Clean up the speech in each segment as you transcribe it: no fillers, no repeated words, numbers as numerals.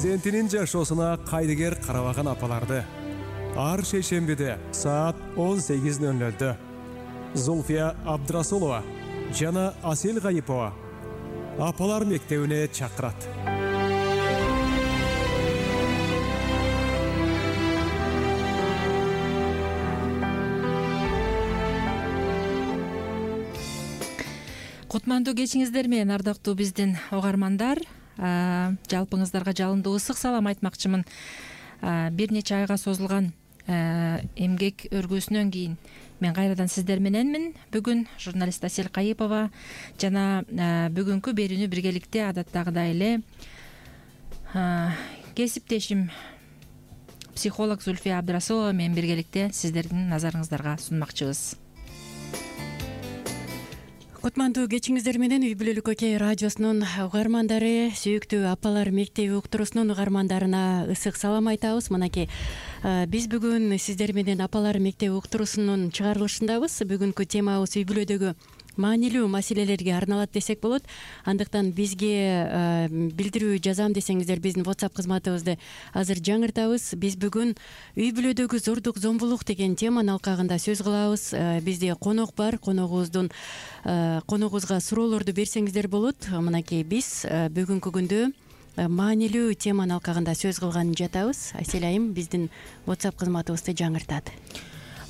перзентинин жашоосуна кайдыгер карабаган апаларды ар шейшембиде саат 18:00 Зульфия Абдрасулова жана Асел Гайипова апалар мектебине чакырат. Кутмандуу кечиңиздер менен ардактуу биздин угармандар, жалпыңыздарга жалындуу ысык салам айтмакчымын. Бир нече айга созулган эмгек өргүүсүнөн кийин мен кайрадан сиздер мененмин. Бүгүн журналист Асел Гайипова жана бүгүнкү берүүнү биргеликте адаттагыдай эле кесиптешим психолог Зульфия Абдрасулова менен биргеликте сиздердин назарыңыздарга сунмакчыбыз. Кутмандуу кечиңиздер менен Үй бүлөлүк Окей радиосунун угармандары, сүйүктүү апалар мектеби уктуруусунун угармандарына ысык салам айтабыз. Мынакей биз бүгүн сиздер менен апалар мектеби уктуруусунун чыгарылышындабыз. Бүгүнкү темабыз үй бүлөдөгү маанилүү маселелерге арналат десек болот. Андыктан бизге билдирүү жазам десеңиздер биздин WhatsApp кызматыбызды азыр жаңыртабыз. Биз бүгүн үй бүлөдөгү зордук, зомбулук деген теманын алкагында сөз кылабыз. Бизде конок бар. Коногубузга суроолорду берсеңиздер болот. Мынакей биз бүгүнкү күндө маанилүү теманын алкагында сөз кылган жатабыз. Асель айым биздин WhatsApp кызматыбызды жаңыртат.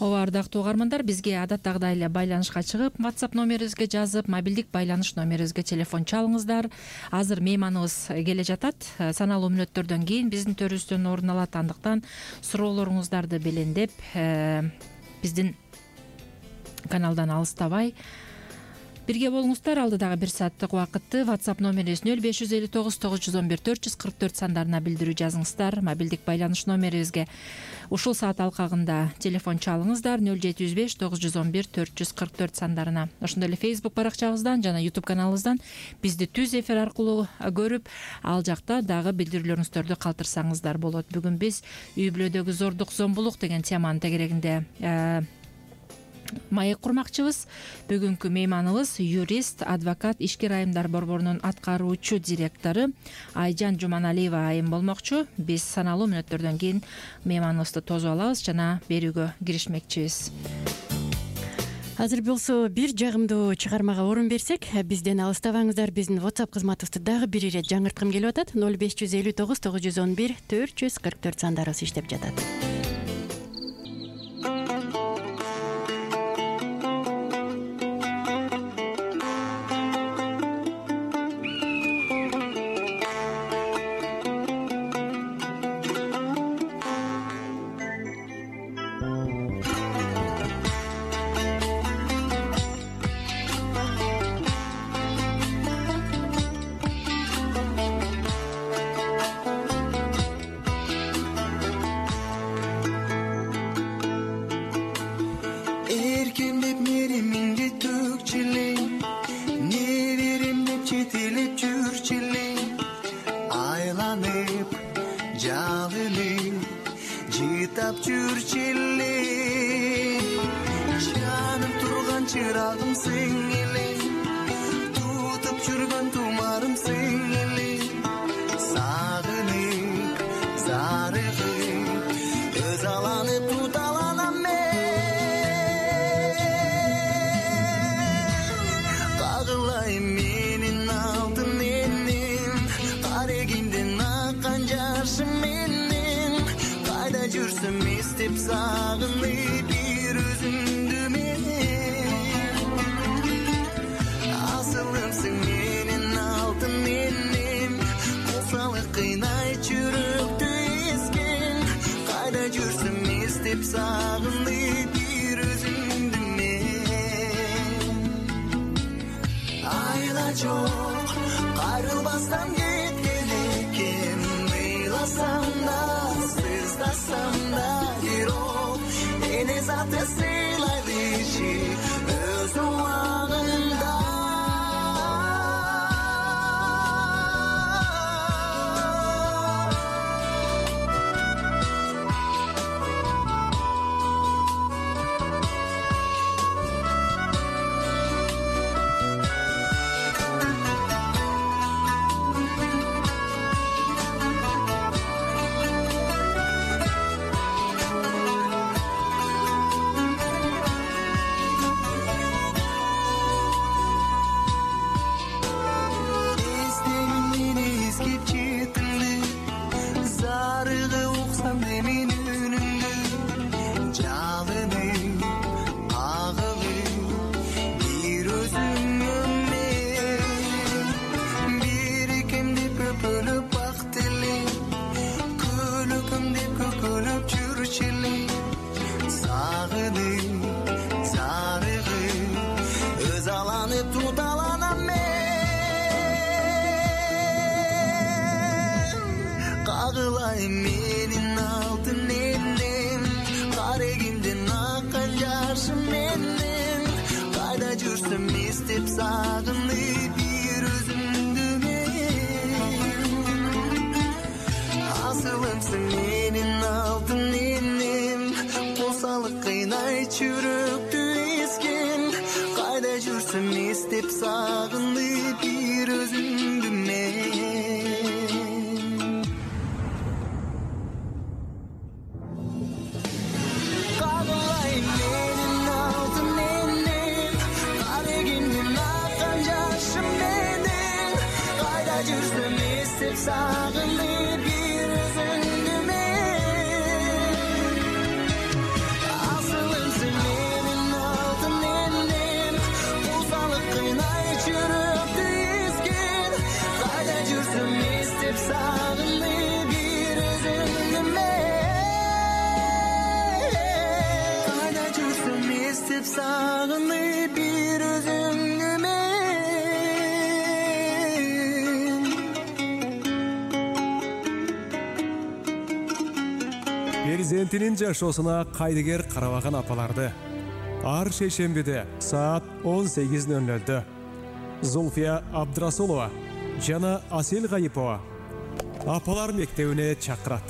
Ооба, ардактуу угармандар, бизге адаттагыдай эле байланышка чыгып, WhatsApp номерибизге жазып, мобилдик байланыш номерибизге телефон чалыңыздар. Азыр мейманыбыз келе жатат. Саналуу мүнөттөрдөн кийин биздин төрүбүздөн орун алат. Андыктан суроолоруңуздарды белендеп, биздин каналдан алыстабай бирге болуңуздар. Алдыдагы 1 сааттык убакытты WhatsApp номерибиз 0559 911 444 сандарына билдирүү жазыңыздар. Мобилдик байланыш номерибизге ушул саат алкагында телефон чалыңыздар 0705 911 444 сандарына. Ошондой эле Facebook баракчабыздан жана YouTube каналыбыздан бизди түз эфир аркылуу көрүп, ал жакта дагы билдирүүлөрүңүздөрдү калтырсаңыздар болот. Бүгүн биз үй бүлөдөгү зордук, зомбулук деген теманын тегерегинде маек курмакчыбыз. Бүгүнкү мейманыбыз юрист, адвокат, ишкер айымдар борборунун аткаруучу директору Айжан Жуманалиева айым болмокчу. Биз саналуу мүнөттөрдөн кийин мейманыбызды тосуп алабыз жана берүүгө киришмекчибиз. Азыр болсо бир жагымдуу чыгармага орун берсек, бизден алыстабаңыздар. Биздин WhatsApp кызматыбызды дагы бир ирет жаңырткым келип атат. 0559 911 444 сандарыбыз иштеп жатат. кагылайын менин алтын элем, карегимден аккан жашым менен, кайда жүрсөм эстеп сагынып бир өзүңдү мен. Асылымсың менин алтын элем, косалык кыйнайт жүрөктү эскен, кайда жүрсөм эстеп сагынып бир өзүңдү мен. Кагылайын менин алтын элем, карегимден аккан жашым менен, кайда жүрсөм эстеп сагынып бир өзүңдү мен. Асылымсың менин алтын элем, косалык кыйнайт жүрөктү эскен, кайда жүрсөм эстеп сагынып бир өзүңдү мен. Кайда жүрсөм эстеп сагынып бир өзүңдү мен. Перзентинин жашоосуна кайдыгер карабаган апаларды ар шейшембиде саат 18:00 Зульфия Абдрасулова жана Асел Гайипова апалар мектебине чакырат.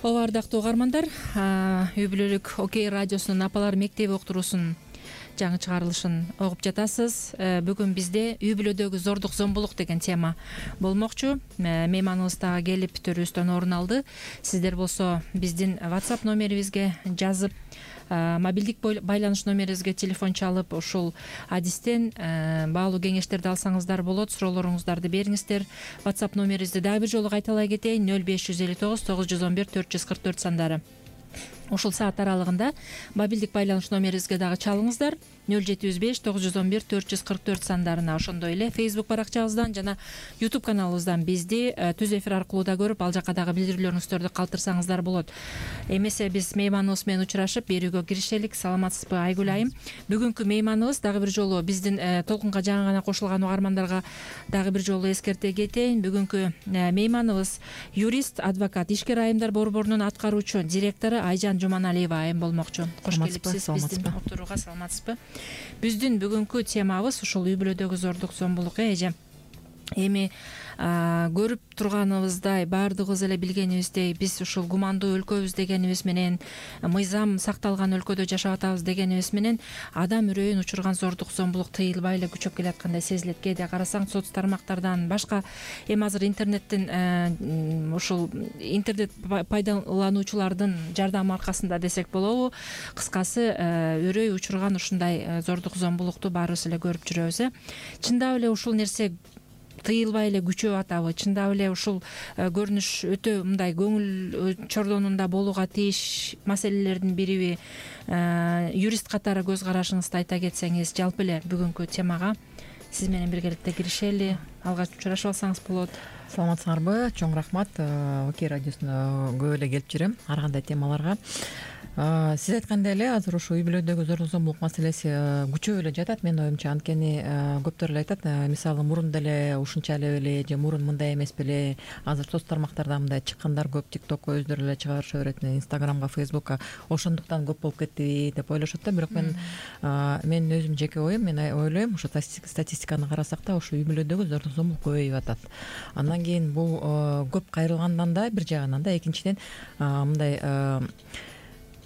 Ооба, ардактуу угармандар, үй бүлөлүк Окей радиосунун апалар мектеби уктуруусунун жаңы чыгарылышын угуп жатасыз. Бүгүн бизде үй бүлөдөгү зордук зомбулук деген тема болмокчу. Мейманыбыз дагы келип төрүбүздөн орун алды. Сиздер болсо биздин WhatsApp номерибизге жазып, мобилдик байланыш номерибизге телефон чалып, ушул адистен баалуу кеңештерди алсаңыздар болот. Суроолоруңуздарды бериңиздер. WhatsApp номерибизди дагы бир жолу кайталай кетейин: 0559 911 444 сандары. Ушул саат аралыгында мобилдик байланыш номерибизге дагы чалыңыздар: 0759 911 444 сандарына. Ошондой эле Facebook баракчабыздан жана YouTube каналыбыздан бизди түз эфир аркылуу да көрүп, ал жака дагы билдирүүлөрүңүздөрдү калтырсаңыздар болот. Эмесе биз мейманыбыз менен учурашып берүүгө киришелик. Саламатсызбы Айгүл айым? Бүгүнкү мейманыбыз дагы бир жолу биздин толкунга жаңы гана кошулган угармандарга дагы бир жолу эскерте кетейин. Бүгүнкү мейманыбыз юрист, адвокат, ишкер айымдар борборунун аткаруучу директору Айжан Жуманалиева айым болмокчу. Кош келипсиз биздин отурууга. Саламатсызбы? Биздин бүгүнкү темабыз ушул үй бүлөдөгү зордук зомбулук. Эже эми көрүп турганыбыздай, баардыгыбыз эле билгенибиздей, биз ушул гумандуу өлкөбүз дегенибиз менен, мыйзам сакталган өлкөдө жашап атабыз дегенибиз менен, адам үрөйүн учурган зордук зомбулук тыйылбай эле күчөп келаткандай сезилет. Кээде карасаң соц тармактардан, башка эми азыр интернеттин ушул интернет пайдалануучулардын жардамы аркасында десек болобу, кыскасы үрөй учурган ушундай зордук зомбулукту баарыбыз эле көрүп жүрөбүз. Чындап эле ушул нерсе тыйылбай эле күчөп атабы? Чындап эле ушул көрүнүш өтө мындай көңүл чордонунда болууга тийиш маселелердин бириби? Юрист катары көз карашыңызды айта кетсеңиз, жалпы эле бүгүнкү темага сиз менен биргеликте киришели. Алгач учурашып алсаңыз болот. Саламатсыңарбы? Чоң рахмат. Окей радиосуна көп эле келип жүрөм ар кандай темаларга. Сиз айткандай эле азыр ушу үй бүлөдөгү зордук зомбулук маселеси күчөп эле жатат менин оюмча. Анткени көптөр эле айтат, мисалы мурун деле ушунча эле беле, же мурун мындай эмес беле. Азыр соц тармактарда мындай чыккандар көп, TikTokко өздөрү эле чыгарыша берет, Instagramга, Facebookка. Ошондуктан көп болуп кеттиби деп ойлошот да. Бирок мен өзүм жеке оюм, мен ойлойм, ушу статистиканы карасак да, ушу үй бүлөдөгү зордук зомбулук көбөйүп атат. Андан кийин бул көп кайрылгандан да, бир жагынан да, экинчиден мындай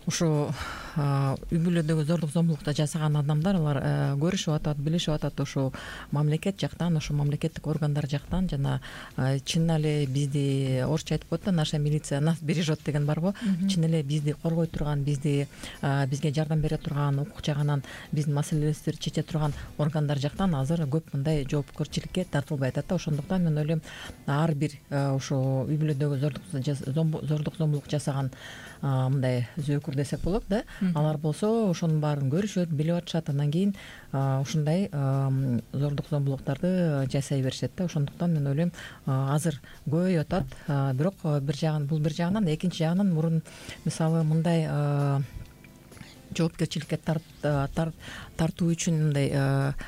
ушу үй бүлөдөгү зордук зомбулукту жасаган адамдар, алар көрүшүп атат, билишип атат ушу мамлекет жактан, ушу мамлекеттик органдар жактан, жана чын эле бизди орусча айтып коет да, наша милиция нас бережет деген барбы? Чын эле бизди коргой турган, бизге жардам бере турган, укук жагынан биздин маселелерибизди чече турган органдар жактан азыр көп мындай жоопкерчиликке тартылбай атат да. Ошондуктан мен ойлойм, ар бир ушу үй бүлөдөгү зордук зомбулук жасаган мындай зөөкүр десек болот да, алар болсо ошонун баарын көрүшөт, билип атышат, анан кийин ушундай зордук зомбулуктарды жасай беришет да. Ошондуктан мен ойлойм азыр көбөйүп атат, бирок бул бир жагынан, экинчи жагынан мурун мисалы мындай жоопкерчиликке тартуу үчүн мындай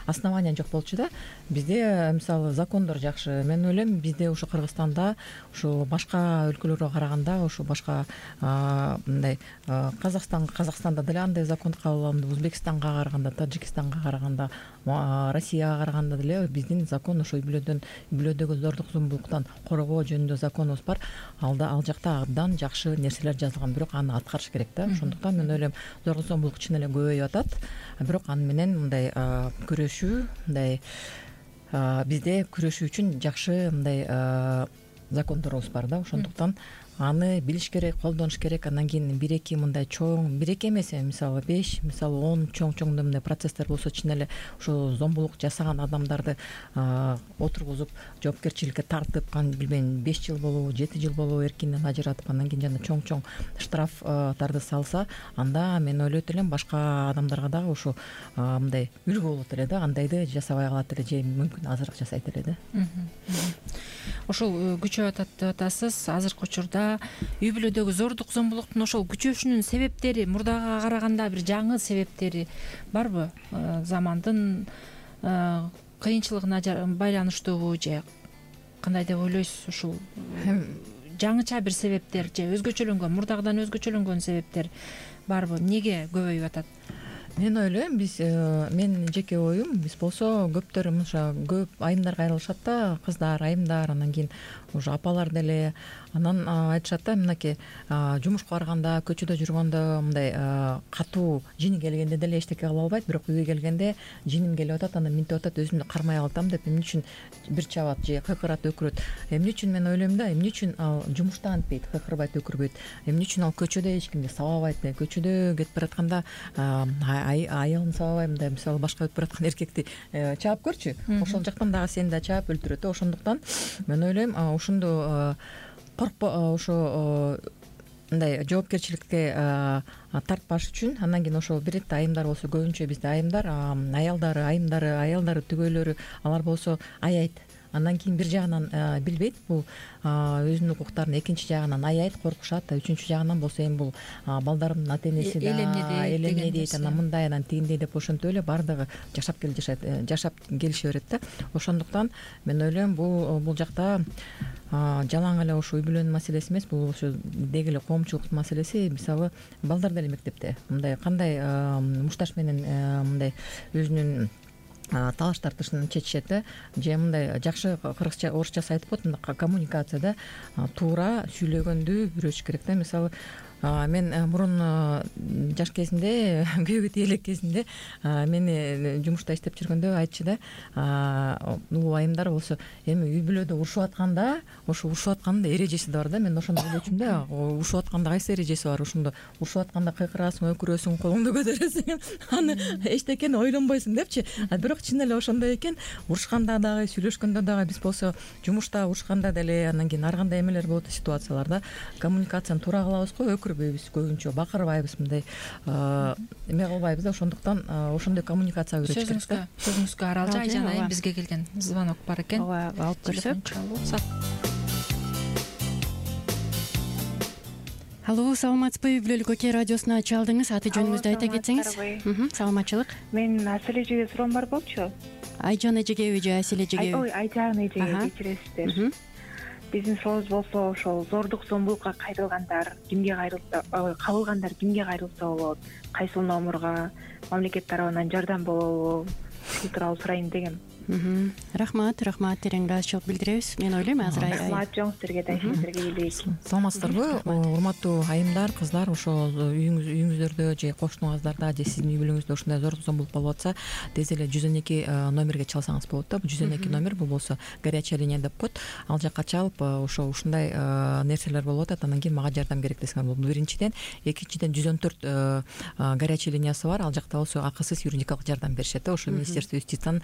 основания жок болчу да. Бизде мисалы закондор жакшы. Мен ойлойм бизде ушу Кыргызстанда ушу башка өлкөлөргө караганда, ушу башка мындай Казакстанда деле андай закон кабыл алынды, Өзбекстанга караганда, Таджикистанга караганда, Россияга караганда деле биздин закон ошо үй-бүлөдөгү зордук зомбулуктан коргоо жөнүндө законубуз бар. Ал жакта абдан жакшы нерселер жазылган, бирок аны аткарыш керек да. Ошондуктан мен ойлойм зордук зомбулук чын эле көбөйүп атат, бирок аны менен мындай күрөшүү, мындай бизде күрөшүү үчүн жакшы мындай закондорубуз бар да. Ошондуктан аны билиш керек, колдонуш керек. Андан кийин бир-эки мындай чоң, бир-эки эмес, мисалы 5, мисалы 10 чоң мындай процесстер болсо чын эле ошо зомбулук жасаган адамдарды отургузуп жоопкерчиликке тартып, билбейм 5 жыл болобу, 7 жыл болобу эркинден ажыратып, андан кийин жана чоң штрафтарды салса, анда мен ойлойт элем башка адамдарга дагы ошо мындай үлгү болот эле да. Андайды жасабай калат эле, же мүмкүн азыраак жасайт эле да. Ошол күчөп атат деп атасыз. Азыркы учурда үй-бүлөдөгү зордук зомбулуктун ошол күчөшүнүн себептери мурдага караганда бир жаңы себептери барбы? Замандын кыйынчылыгына байланыштуубу же кандай деп ойлойсуз? Ушул жаңыча бир себептер же өзгөчөлөнгөн, мурдагыдан өзгөчөлөнгөн себептер барбы? Эмнеге көбөйүп атат? Мен ойлойм, менин жеке оюм, биз болсо көптөр көп айымдарга айрылышат да, кыздар, айымдар, анан кийин уже апалар деле. Анан айтышат да, мынакей жумушка барганда, көчөдө жүргөндө мындай катуу жини келгенде деле эчтеке кыла албайт, бирок үйгө келгенде жиним келип атат, анан минтип атат, өзүмдү кармай калтам деп эмне үчүн бир чабат же кыйкырат, өкүрөт. Эмне үчүн мен ойлойм да, эмне үчүн ал жумушта антпейт, кыйкырбайт, өкүрбөйт? Эмне үчүн ал көчөдө эч кимди сабабайт? Көчөдө кетип баратканда аялын сабабай, мындай мисалы башка өтүп бараткан эркекти чаап көрчү, ошол жактан дагы сени да чаап өлтүрөт. Ошондуктан мен ойлойм ушунду ошо мындай жоопкерчиликке тартпаш үчүн, андан кийин ошо бир эте айымдар болсо, көбүнчө бизде айымдар, аялдары түгөйлөрү, алар болсо аять. Андан кийин бир жагынан билбейт, бул өзүнүн укуктарын, экинчи жагынан аять, коркушат, үчүнчү жагынан болсо эми бул балдарымдын ата энеси да элемне дейт, анан мындай, анан тигиндей деп ошентип эле баардыгы жашап келише берет да. Ошондуктан мен ойлойм бул жакта жалаң эле ошо үй-бүлөнүн маселеси эмес, бул ошо деги эле коомчулуктун маселеси. Мисалы балдар деле мектепте мындай кандай мушташ менен мындай өзүнүн талаш тартышын чечишет да, же мындай жакшы кыргызча, орусчасы айтып коет, мындай коммуникацияда туура сүйлөгөндү үйрөтүш керек да. Мисалы мен мурун жаш кезимде, күйөөгө элек кезимде мени жумушта иштеп жүргөндө айтчу да, улуу айымдар болсо, эми үй-бүлөдө урушуп атканда, ошо урушуп аткандын эрежеси да бар да. Мен ошондо ойлочумун да, урушуп атканда кайсы эрежеси бар? Ошондо урушуп атканда кыйкырасың, өкүрөсүң, колуңду көтөрөсүң, аны эчтекени ойлонбойсуң депчи. Бирок чын эле ошондой экен. Урушканда дагы, сүйлөшкөндө дагы, биз болсо жумушта урушканда деле, андан кийин ар кандай эмелер болот, ситуацияларда коммуникацияны туура кылабызго, өкүрбөйбүз, көбүнчө бакырбайбыз, мындай эме кылбайбыз да. Ошондуктан ошондой коммуникация үйрөтүш керек да. Сөзүңүзгө Аралжан айым, бизге келген звонок бар экен. Ооба, алып көрсөк. Алло, саламатсызбы? Үй-бүлөлүк Окей радиосуна чалдыңыз. Аты жөнүңүздү айта кетсеңиз. Саламатчылык. Менин Асель эжеге суроом бар болчу. Айжан эжегеби же Асель эжегеби? Ой, Айжан эжеге, кечиресиздер. Биздин сурообуз болсо, ошол зордук зомбулукка кайрылгандар кимге кабылгандар кимге кайрылса болот? Кайсыл номурга, мамлекет тарабынан жардам болобу? Ушул тууралуу сурайын дегем. Рахмат, терең ыраазычылык билдиребиз. Мен ойлойм азыр рахмат жоң силерге да, сиздерге элек. Саламатсыздарбы, урматтуу айымдар, кыздар? Ошол үйүңүздөрдө же кошуңуздарда же сиздин үй-бүлөңүздө ушундай зордук зомбулук болуп атса, тез эле 112 номерге чалсаңыз болот да. Бул 112 номер, бул болсо горячая линия деп коет. Ал жакка чалып, ушундай нерселер болуп атат, андан кийин мага жардам керек десеңер болот. Биринчиден, экинчиден 114 горячая линиясы бар. Ал жакта болсо акысыз юридикалык жардам беришет да. Ошо Министерство юстициянын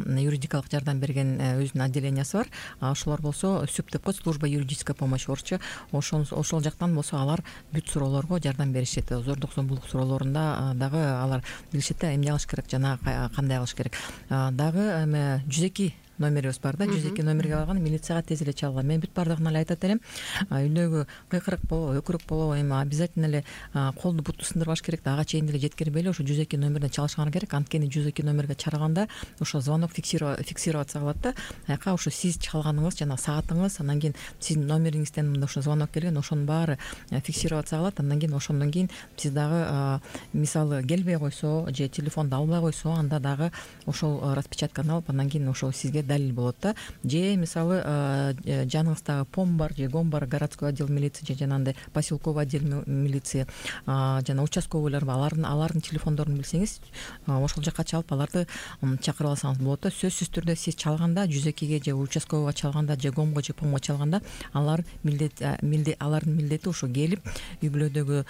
юридикалык жардам берген өзүнүн отделениясы бар. Ошолор болсо СЮП деп коет, служба юридической помощи орусча. Ошол жактан болсо алар бүт суроолорго жардам беришет. Зордук зомбулук суроолорунда дагы алар билишет да, эмне кылыш керек жана кандай кылыш керек. Дагы эме 102 номерибиз бар да, 102 номерге барганда милицияга тез эле чалгыла. Мен бүт бардыгына эле айтат элем, үйдөгү кыйкырык болобу, өкүрүк болобу, эми обязательно эле колду буту сындырбаш керек да, ага чейин деле жеткирбей эле ошо 102 номерден чалышыңар керек. Анткени 102 номерге чарганда ошо звонок фиксироваться кылат да. Аяка ошо сиз чалганыңыз жана саатыңыз, андан кийин сиздин номериңизден мында ошо звонок келген, ошонун баары фиксироваться кылат. Андан кийин ошондон кийин сиз дагы мисалы келбей койсо же телефонду албай койсо, анда дагы ошол распечатканы алып, андан кийин ошол сизге далил болот да. Же мисалы жаныңыздагы ПОМ бар же ГОМ бар, городской отдел милиции же жанагындай поселковый отдел милиции жана участковыйлар бар, алардын телефондорун билсеңиз, ошол жака чалып аларды чакырып алсаңыз болот да. Сөзсүз түрдө сиз чалганда 102ге же участковыйга чалганда же ГОМго же ПОМго чалганда алардын милдети ошо келип үй бүлөдөгү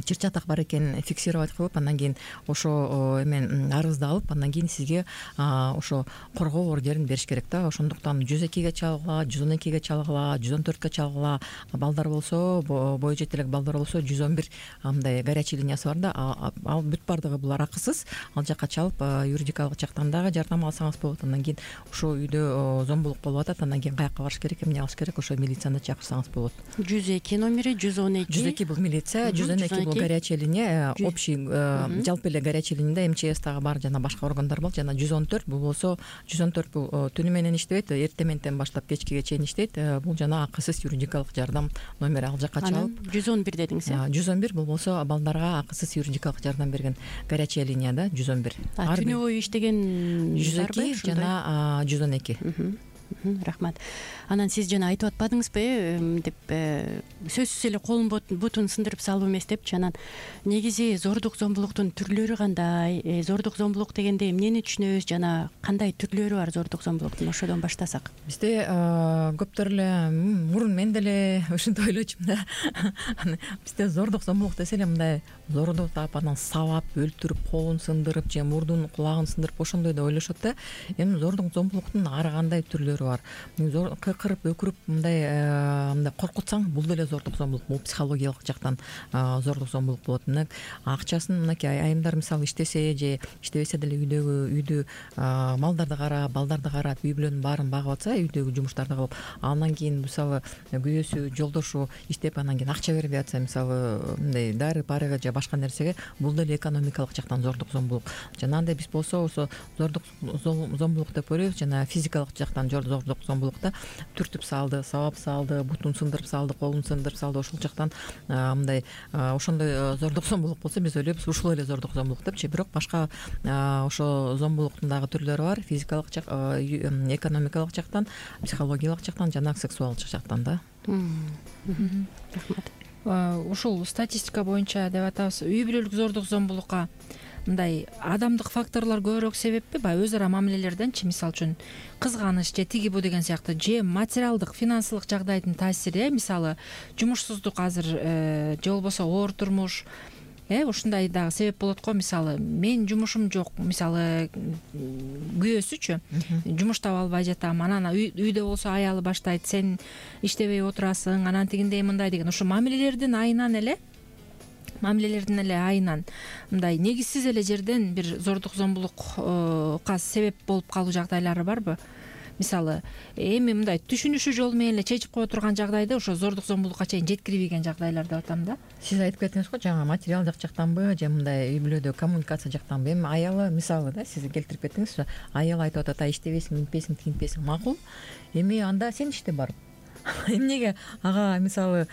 чыр чатак бар экенин фиксировать кылып, андан кийин ошо эмен арызды алып, андан кийин сизге ошо коргоо ордерин бериш керек да. Ошондуктан 102ге чалгыла, 112ге чалгыла, 114ке чалгыла. Балдар болсо, бою жетелек балдар болсо 111 мындай горячий линиясы бар да. Ал бүт бардыгы булар акысыз. Ал жака чалып юридикалык жактан дагы жардам алсаңыз болот. Андан кийин ошо үйдө зомбулук болуп атат, андан кийин каяка барыш керек, эмне кылыш керек, ошо милицияны чакырсаңыз болот. 102 номери, 112 бул милиция, 112 бул горячая линия, общий жалпы эле горячий линияда МЧС дагы бар, жана башка органдар бар. Жана 114 бул болсо, 114 бул түнү менен иштебейт, эртең менен баштап кечкиге чейин иштейт. Бул жана акысыз юридикалык жардам номери, ал жака чалып. 111 дедиңиз. 111 бул болсо балдарга акысыз юридикалык жардам берген горячая линияда 111. Түнү бою иштеген 102 жана 112. Рахмат. Анан сиз жана айтып атпадыңызбы деп, сөзсүз эле колун бутун сындырып салып эмес депчи. Анан негизи зордук зомбулуктун түрлөрү кандай? Зордук зомбулук дегенде эмнени түшүнөбүз жана кандай түрлөрү бар зордук зомбулуктун? Ошодон баштасак. Бизде көптөр эле мурун мен деле ушинтип ойлочумун да. Бизде зордук зомбулук десе эле мындай зордук таап, анан сабап, өлтүрүп, колун сындырып же мурдун кулагын сындырып ошондой деп ойлошот да. Эми зордук зомбулуктун ар кандай түрлөрү бар. Кырып, өкүрүп, мындай коркутсаң, бул деле зордук зомбулук. Бул психологиялык жактан зордук зомбулук болот. Мына акчасын мынакей айымдар мисалы иштесе же иштебесе деле үйдү малдарды карап, балдарды карап, үй бүлөнүн баарын багып атса, үйдөгү жумуштарды кылып, андан кийин мисалы күйөөсү, жолдошу иштеп, андан кийин акча бербей атса, мисалы мындай дары парыга же башка нерсеге, бул деле экономикалык жактан зордук зомбулук. Жанагындай биз болсо ошо зордук зомбулук деп ойлойбуз. Жана физикалык жактан зордук зомбулукта түртүп салды, сабап салды, бутун сындырып салды, колун сындырып салды, ошол жактан мындай ошондой зордук зомбулук болсо биз ойлойбуз ушул эле зордук зомбулук депчи. Бирок башка ошо зомбулуктун дагы түрлөрү бар. Физикалык экономикалык жактан, психологиялык жактан жана сексуалдык жактан да. Рахмат. Ушул статистика боюнча деп атабыз, үй бүлөлүк зордук зомбулукка мындай адамдык факторлор көбүрөөк себеппи? Баягы өз ара мамилелерденчи, мисалы үчүн кызганыч же тиги бу деген сыяктуу, же материалдык, финансылык жагдайдын таасири, мисалы жумушсуздук азыр же болбосо оор турмуш, ушундай дагы себеп болот го. Мисалы мен жумушум жок, мисалы күйөөсүчү жумуш таба албай жатам, анан үйдө болсо аялы баштайт, сен иштебей отурасың, анан тигиндей мындай деген, ошо мамилелердин айынан эле мындай негизсиз эле жерден бир зордук зомбулукка себеп болуп калуу жагдайлары барбы? Мисалы эми мындай түшүнүшү жолу менен эле чечип кое турган жагдайда ошо зордук зомбулукка чейин жеткирбеген жагдайлар деп атам да. Сиз айтып кеттиңиз го, жаңы материалдык жактанбы же мындай үй бүлөдө коммуникация жактанбы? Эми аялы мисалы да, сиз келтирип кеттиңиз, аялы айтып атат, иштебейсиң, минтпейсиң, тигинтпейсиң, макул. Эми анда сен иште барып. Эмнеге ага мисалы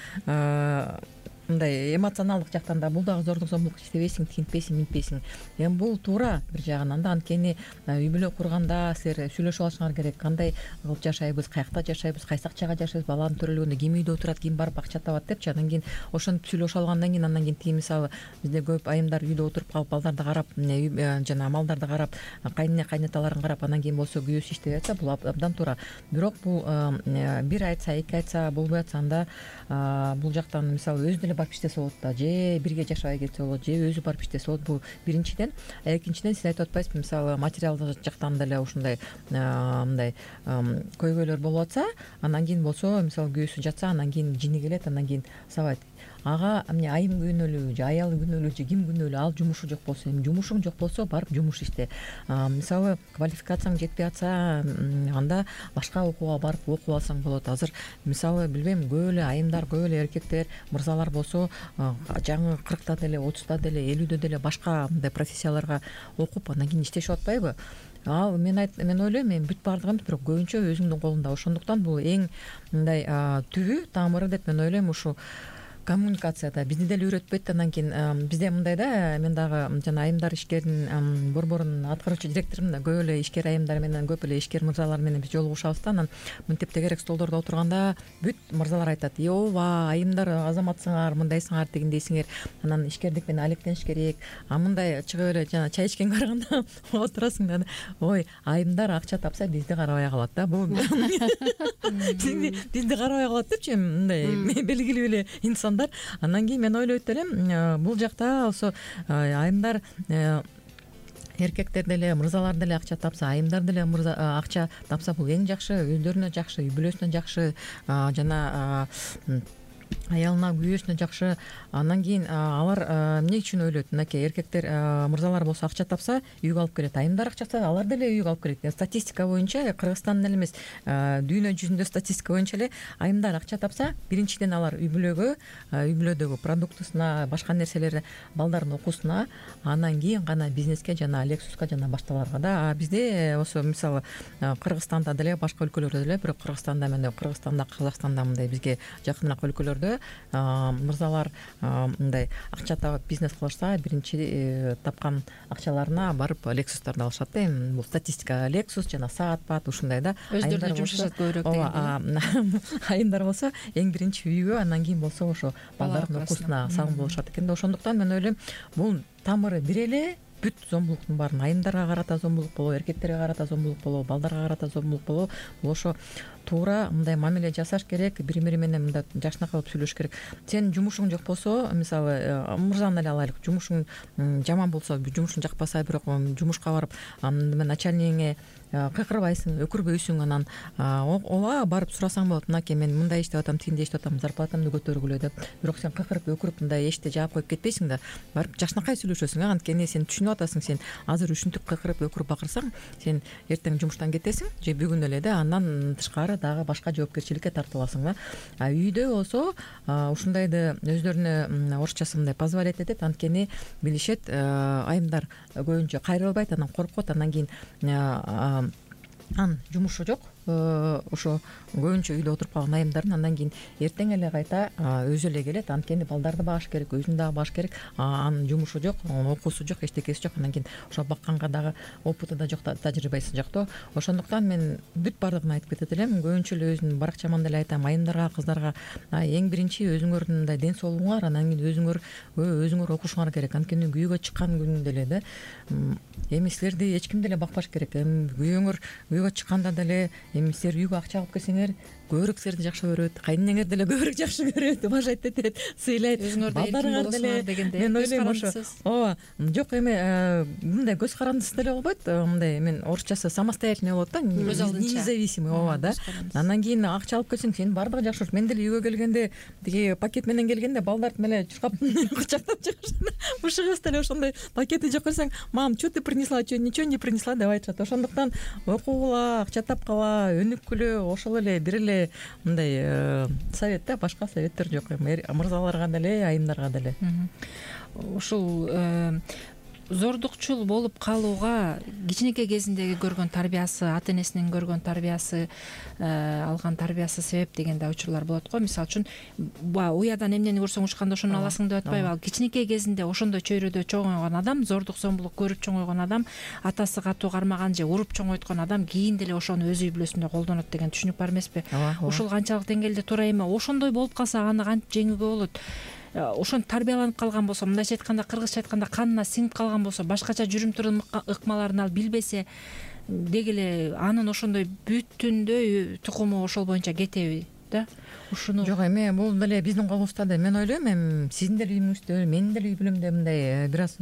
мындай эмоционалдык жактан да бул дагы зордук зомбулук, иштебейсиң, тигинтпейсиң, минтпейсиң. Эми бул туура бир жагынан да, анткени үй бүлө курганда силер сүйлөшүп алышыңар керек. Кандай кылып жашайбыз, каякта жашайбыз, кайсы акчага жашайбыз, баланын төрөлгөндө ким үйдө отурат, ким барып акча табат депчи. Андан кийин ошентип сүйлөшүп алгандан кийин, андан кийин тиги мисалы бизде көп айымдар үйдө отуруп калып, балдарды карап, жана малдарды карап, кайнына кайнаталарын карап, андан кийин болсо күйөөсү иштебей атса, бул абдан туура. Бирок бул бир айтса, эки айтса болбой атса, анда бул жактан мисалы өзү деле барып иштесе болот да, же бирге жашабай кетсе болот, же өзү барып иштесе болот. Бул биринчиден. Экинчиден сиз айтып атпайсызбы, мисалы материалдык жактан деле ушундай мындай көйгөйлөр болуп атса, анан кийин болсо мисалы күйөөсү жатса, анан кийин жини келет, анан кийин сабайт. Ага эмне айым күнөөлүү же аялы күнөөлүү же ким күнөөлүү, ал жумушу жок болсо, эми жумушуң жок болсо барып жумуш иште. Мисалы квалификацияң жетпей атса, анда башка окууга барып окуп алсаң болот. Азыр мисалы билбейм, көп эле айымдар, көп эле эркектер, мырзалар болсо жаңы 40та деле, 30та деле, 50дө деле башка мындай профессияларга окуп анан кийин иштешип атпайбы? Ал мен ойлойм, эми бүт баардыгы эмес, бирок көбүнчө өзүңдүн колуңда. Ошондуктан бул эң мындай түбү, тамыры деп мен ойлойм ушу коммуникацияда. Бизди деле үйрөтпөйт. Анан кийин бизде мындай да, мен дагы жана айымдар ишкердин борборунун аткаруучу директорумун да, көп эле ишкер айымдар менен, көп эле ишкер мырзалар менен биз жолугушабыз да. Анан мынтип тегерек столдордо отурганда бүт мырзалар айтат: "Ооба, айымдар азаматсыңар, мындайсыңар, тигиндейсиңер. Анан ишкердик менен алектениш керек." Мындай чыгып эле жана чай ичкенге караганда отурасың да, ой, айымдар акча тапса бизди карабай калат да. Бул бизди карабай калат депчи, мындай белгилүү эле инсан. Андан кийин мен ойлойт элем, бул жакта болсо айымдар, эркектер деле, мырзалар деле акча тапса, айымдар деле акча тапса, бул эң жакшы, өздөрүнө жакшы, үй бүлөсүнө жакшы, жана аялына, күйөөсүнө жакшы. Андан кийин алар эмне үчүн ойлойт? Мынакей эркектер, мырзалар болсо акча тапса үйгө алып келет, айымдар акча тапса алар деле үйгө алып келет. Статистика боюнча, Кыргызстандын эле эмес, дүйнө жүзүндө статистика боюнча эле айымдар акча тапса, биринчиден алар үй бүлөдөгү продуктусуна, башка нерселери, балдардын окуусуна, анан кийин гана бизнеске жана Lexus'ка жана башталарга да. Бизде ошо мисалы Кыргызстанда деле, башка өлкөлөрдө деле, бирок Кыргызстанда мен Кыргызстанда, Казакстанда мындай бизге жакыныраак өлкөлөрдө мырзалар мындай акча табып бизнес кылышса, биринчи тапкан акчаларына барып Lexus'тарды алышат да. Эми бул статистика. Lexus жана саат-пат ушундай да. Өздөрүнө жумшашат көбүрөөк деген. Айымдар болсо эң биринчи үйгө, андан кийин болсо ошо балдардын окуусуна сагым болушат экен да. Ошондуктан мен ойлойм, бул тамыры бир эле. Бүт зомбулуктун баарын айымдарга карата зомбулук болобу, эркектерге карата зомбулук болобу, балдарга карата зомбулук болобу, бул ошо туура мындай мамиле жасаш керек, бири-бири менен мындай жакшынакай болуп сүйлөшүш керек. Сенин жумушуң жок болсо, мисалы мырзаны эле алайлык, жумушуң жаман болсо, жумушуң жакпаса, бирок жумушка барып начальнигиңе кыйкырбайсың, өкүрбөйсүң, анан ооба барып сурасаң болот: "Мынакей, мен мындай иштеп атам, тигиндей иштеп атам, зарплатамды көтөргүлө" деп. Бирок сен кыйкырып, өкүрүп мындай эчте жаап коюп кетпейсиң да. Барып жакшынакай сүйлөшөсүң. Анткени сен түшүнүп атасың, сен азыр ушинтип кыйкырып, өкүрүп бакырсаң, сен эртең жумуштан кетесиң же бүгүн эле да, андан тышкары дагы башка жоопкерчиликке тартыласың да. Үйдө болсо ушундайды өздөрүнө орусчасы мындай позволять этет. Анткени билишет, айымдар көбүнчө кайрылбайт, анан коркот, анан кийин жумушу жок. Ошо көбүнчө үйдө отуруп калган айымдардын андан кийин эртең эле кайта өзү эле келет. Анткени балдарды багыш керек, өзүн дагы багыш керек. Анын жумушу жок, окуусу жок, эчтекеси жок. Анан кийин ошо бакканга дагы опыты да жок, тажрыйбасы жок да. Ошондуктан мен бүт баардыгын айтып кетет элем. Көбүнчө эле өзүмдүн баракчаман деле айтам, айымдарга, кыздарга эң биринчи өзүңөрдүн мындай ден соолугуңар, анан кийин өзүңөр окушуңар керек. Анткени күйөөгө чыккан күндө деле да, эми силерди эч ким деле бакпаш керек. Эми күйөөңөр күйөөгө чыкканда деле, эми силер үйгө акча алып келсеңер, көбүрөөк силерди жакшы көрөт, кайненеңер деле көбүрөөк жакшы көрөт, уважать этет, сыйлайт. Балдарыңар деле, мен ойлойм ошо. Ооба, жок эми мындай көз карандысыз деле болбойт, мындай мен орусчасы самостоятельный болот да, независимый. Ооба да. Андан кийин акча алып келсең, сенин баардыгы жакшы болот. Мен деле үйгө келгенде, тиги пакет менен келгенде балдарды эле чуркап кучактап чыгышат. Ушугуз деле ошондой пакети жок көрсөң, "Мам, что ты принесла, ничего не принесла" деп айтышат. Ошондуктан окугула, акча тапкыла, өнүккүлө, ошол эле бир эле мындай совет да, башка советтер жок. Мырзаларга деле, айымдарга деле. Ушул зордукчул болуп калууга кичинекей кезиндеги көргөн тарбиясы, ата энесинин көргөн тарбиясы, алган тарбиясы себеп деген да учурлар болот го. Мисалы үчүн уядан эмнени көрсөң учканда ошону аласың деп атпайбы? Ал кичинекей кезинде ошондой чөйрөдө чоңойгон адам, зордук зомбулук көрүп чоңойгон адам, атасы катуу кармаган же уруп чоңойткон адам кийин деле ошону өз үй бүлөсүндө колдонот деген түшүнүк бар эмеспи? Ушул канчалык деңгээлде туура эми? Ошондой болуп калса аны кантип жеңүүгө болот? Ошон тарбияланып калган болсо, мындайча айтканда, кыргызча айтканда канына сиңип калган болсо, башкача жүрүм турум ыкмаларын ал билбесе деги эле анын ошондой бүтүндөй тукуму ошол боюнча кетеби? да. Ушуну жок, эми бул деле биздин колубузда да. Мен ойлойм, эми сиздин деле үйүңүздө, менин деле үй бүлөмдө мындай бир аз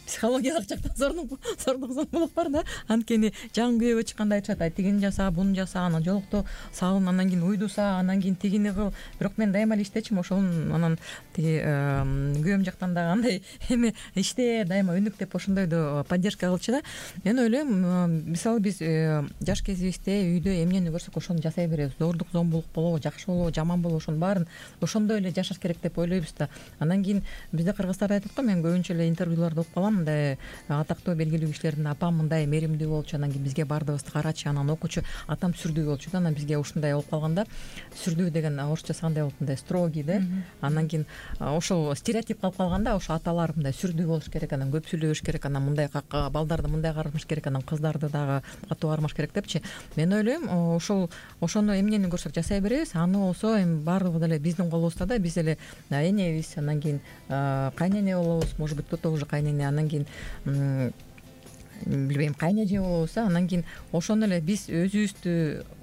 психологиялык жактан зордук зомбулук бар да. Анткени жаңы күйөөгө чыкканда айтышат, тигини жаса, буну жаса, анан жолукту салын, анан кийин уйдуса, анан кийин тигини кыл. Бирок мен дайыма эле иштечимин, ошонун анан тиги күйөөм жактан дагы андай эми иште дайыма өнүк деп ошондойду поддержка кылчу да. Мен ойлойм, мисалы биз жаш кезибизде үйдө эмнени көрсөк ошону жасай беребиз. Зордук зомбулук болобу, жакшы болобу, жаман болобу, ошонун баарын ошондой эле жашаш керек деп ойлойбуз да. Анан кийин бизде кыргыздарда айтат го, мен көбүнчө эле интервьюларда окуп калам, мындай атактуу белгилүү кишилердин апам мындай меримдүү болчу, анан кийин бизге бардыгыбызды карачы, анан окучу, атам сүрдүү болчу да, анан бизге ушундай болуп калганда, сүрдүү деген орусчасы кандай болот, мындай строгий да. Анан кийин ошол стереотип калып калганда, ошо аталар мындай сүрдүү болуш керек, анан көп сүйлөбөш керек, анан мындай балдарды мындай кармаш керек, анан кыздарды дагы катуу кармаш керек депчи. Мен ойлойм, ошону эмнени көрсөк жасай беребиз. Аны болсо эми баардыгы деле биздин колубузда да. Биз эле энебиз, анан кийин кайнене болобуз, может быть, кто-то уже кайнене, анан кийин билбейм, кайнеже болобуз, анан кийин ошону эле биз өзүбүздү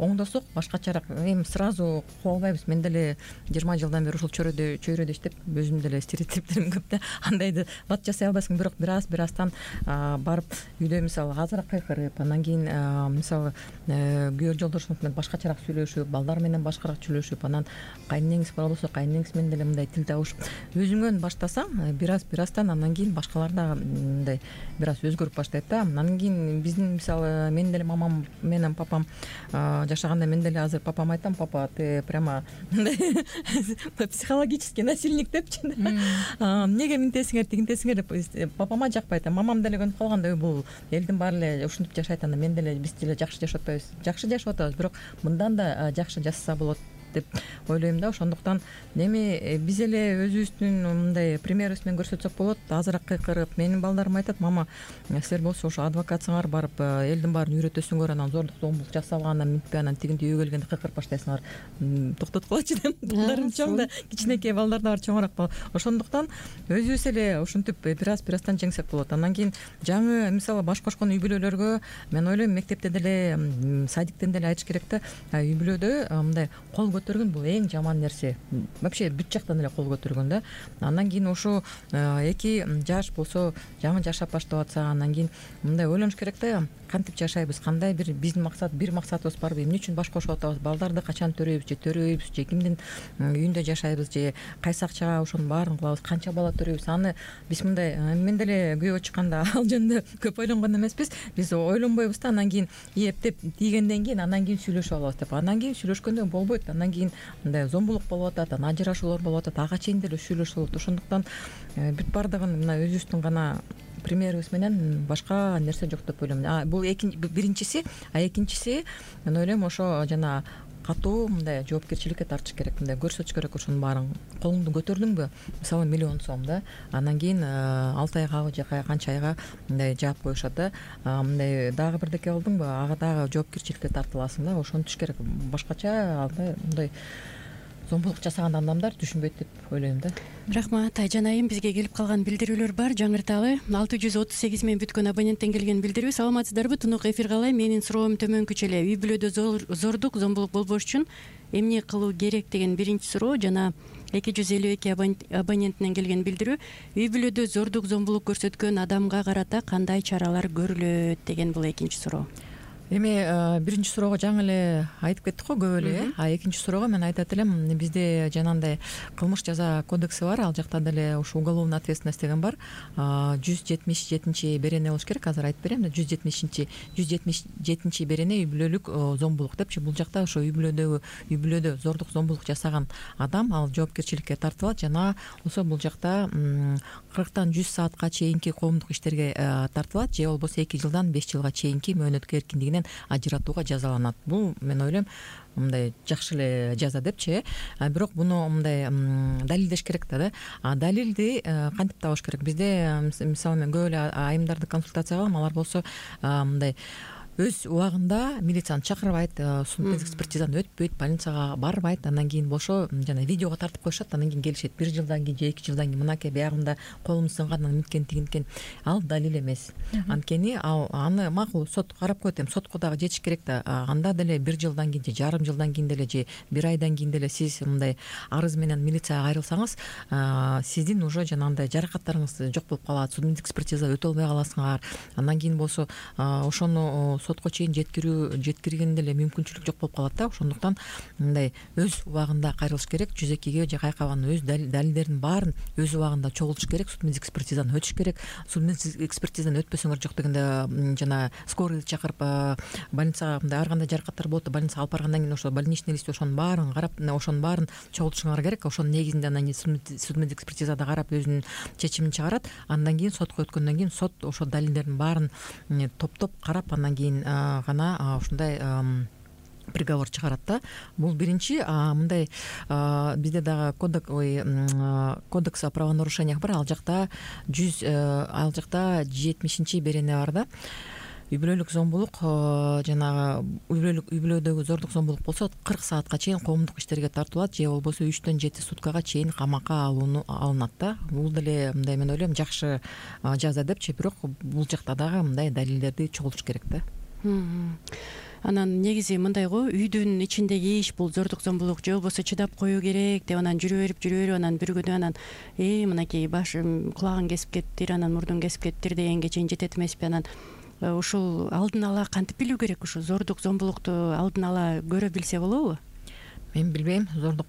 оңдосок башкачараак эми сразу куа албайбыз. Мен деле 20 жылдан бери ушул чөйрөдө иштеп, өзүм деле стереотиптерим көп да. Андайды бат жасай албайсың, бирок бир аздан барып үйдө мисалы азыраак кыйкырып, анан кийин мисалы күйөө жолдошуңуз менен башкачараак сүйлөшүп, балдар менен башкараак сүйлөшүп, анан кайненеңиз бар болсо кайненеңиз менен деле мындай тил табышып өзүңөн баштасаң, бир аздан анан кийин башкалар дагы мындай бир аз өзгөрүп баштайт да. Анан кийин биздин мисалы менин деле мамам менен папам жашаганда, мен деле азыр папама айтам, папа, ты прямо мындай психологический насильник депчи. Эмнеге мынтесиңер, тигинтесиңер деп папама жакпайт. Мамам деле көнүп калганда, бул элдин баары эле ушинтип жашайт, анда мен деле биз деле жакшы жашап атпайбыз. Жакшы жашап атабыз, бирок мындан да жакшы жашаса болот деп ойлойм да. Ошондуктан эми биз эле өзүбүздүн мындай примерибиз менен көрсөтсөк болот. Азыраак кыйкырып, менин балдарым айтат, мама, силер болсо ошо адвокатсыңар, барып элдин баарын үйрөтөсүңөр, анан зордук зомбулук жасалгандан минтпей, анан тигинти үйгө келгенде кыйкырып баштайсыңар. Токтоткулачы деп. Балдарым чоң да, кичинекей балдар да бар, чоңураак. Ошондуктан өзүбүз эле ушинтип бир аздан жеңсек болот. Анан кийин жаңы мисалы баш кошкон үй бүлөлөргө мен ойлойм, мектепте деле, садиктен деле айтыш керек да. Үй бүлөдө мындай кол көтөргөн бул эң жаман нерсе. Вообще бүт жактан эле кол көтөргөн да. Андан кийин ошо эки жаш болсо, жаңы жашап баштап атса, анан кийин мындай ойлонуш керек да. Кантип жашайбыз, кандай биздин бир максатыбыз барбы, эмне үчүн баш кошуп атабыз, балдарды качан төрөйбүз, же кимдин үйүндө жашайбыз, же кайсы акчага ошонун баарын кылабыз, канча бала төрөйбүз. Аны биз мындай, мен деле күйөөгө чыкканда ал жөнүндө көп ойлонгон эмеспиз. Биз ойлонбойбуз да. Анан кийин эптеп тийгенден кийин анан кийин сүйлөшүп алабыз деп. Анан кийин сүйлөшкөндө болбойт. Анан кийин мындай зомбулук болуп атат, анан ажырашуулар болуп атат, ага чейин деле сүйлөшүп болот. Ошондуктан бүт баардыгын мына өзүбүздүн гана примерибиз менен башка нерсе жок деп ойлойм. Бул биринчиси, экинчиси мен ойлойм ошо жана катуу мындай жоопкерчиликке тартыш керек, мындай көрсөтүш керек ошонун баарын. Колуңду көтөрдүңбү, мисалы 1 миллион сом да, анан кийин 6 айга же канча айга мындай жаап коюшат да. Мындай дагы бирдеке кылдыңбы, ага дагы жоопкерчиликке тартыласың да. Ошону түш керек. Башкача мындай зомбулук жасаган адамдар түшүнбөйт деп ойлойм да. Рахмат. Айжан айым, бизге келип калган билдирүүлөр бар, жаңырталы. 638 мен бүткөн абоненттен келген билдирүү. Саламатсыздарбы? Тунук эфир калай. Менин суроом төмөнкүчө эле. Үй бүлөдө зордук, зомбулук болбош үчүн эмне кылуу керек деген биринчи суроо, жана 252 абоненттен келген билдирүү. Үй бүлөдө зордук, зомбулук көрсөткөн адамга карата кандай чаралар көрүлөт деген бул экинчи суроо. Эми биринчи суроого жаңы эле айтып кеттик го көп эле. Экинчи суроого мен айтат элем, бизде жанагындай кылмыш жаза кодекси бар, ал жакта деле ушу уголовный ответственность деген бар. 177 берене болуш керек, азыр айтып берем да. 177 берене үй бүлөлүк зомбулук депчи. Бул жакта ошо үй бүлөдө зордук, зомбулук жасаган адам ал жоопкерчиликке тартылат, жана болсо бул жакта 40 100 саатка чейинки коомдук иштерге тартылат, же болбосо 2 жылдан 5 жылга чейинки мөөнөткө эркиндигинен ажыратууга жазаланат. Бул мен ойлойм мындай жакшы эле жаза депчи. Бирок буну мындай далилдеш керек да. Далилди кантип табыш керек? Бизде мисалы мен көп эле айымдарды консультация кылам, алар болсо мындай өз убагында милицияны чакырбайт, судмедик экспертизаны өтпөйт, больницага барбайт, андан кийин болсо жана видеого тартып коюшат, андан кийин келишет 1 жылдан кийин же 2 жылдан кийин мынакей биягында колум сынган, мынткен тигинткен. Ал далил эмес. Анткени аны макул сот карап коет, эми сотко дагы жетиш керек да. Анда деле 1 жылдан кийин же жарым жылдан кийин деле же 1 айдан кийин деле сиз мындай арыз менен милицияга кайрылсаңыз, сиздин уже жанагындай жаракаттарыңыз жок болуп калат, судмедик экспертиза өтө албай каласыңар. Андан кийин болсо ошону сотко чейин жеткирген деле мүмкүнчүлүк жок болуп калат да. Ошондуктан мындай өз убагында кайрылыш керек. Жүзекиге же кайкабанын өз далилдерин баарын өз убагында чогултуш керек, судмедик экспертизаны өтүш керек. Судмедик экспертизаны өтпөсөңөр жок дегенде жана скорыйды чакырып больницага мындай ар кандай жаракаттар болот, больницага алып баргандан кийин ошо больничный лист ошонун баарын карап, ошонун баарын чогултушуңар керек. Ошонун негизинде андан кийин судмедик экспертизада карап өзүнүн чечимин чыгарат. Андан кийин сотко өткөндөн кийин сот ошо далилдердин баарын топтоп карап, андан кийин гана ушундай приговор чыгарат да. Бул биринчи. Мындай бизде дагы кодекс о правонарушениях бар. Ал жакта 70-чи берене бар да. Үй бүлөлүк зомбулук, жанагы үй бүлөдөгү зордук зомбулук болсо 40 саатка чейин коомдук иштерге тартылат, же болбосо 3-төн 7 суткага чейин камакка алынат да. Бул деле мындай мен ойлойм жакшы жаза депчи, бирок бул жакта дагы мындай далилдерди чогултуш керек да. Анан негизи мындай го, үйдүн ичиндеги иш бул зордук зомбулук, же болбосо чыдап коюу керек деп анан жүрө берип анан бир күнү анан мынакей башым кулагын кесип кетиптир, анан мурдун кесип кетиптир дегенге чейин жетет эмеспи. Анан ушул алдын ала кантип билүү керек? Ушу зордук зомбулукту алдын ала көрө билсе болобу? Мен билбейм зордук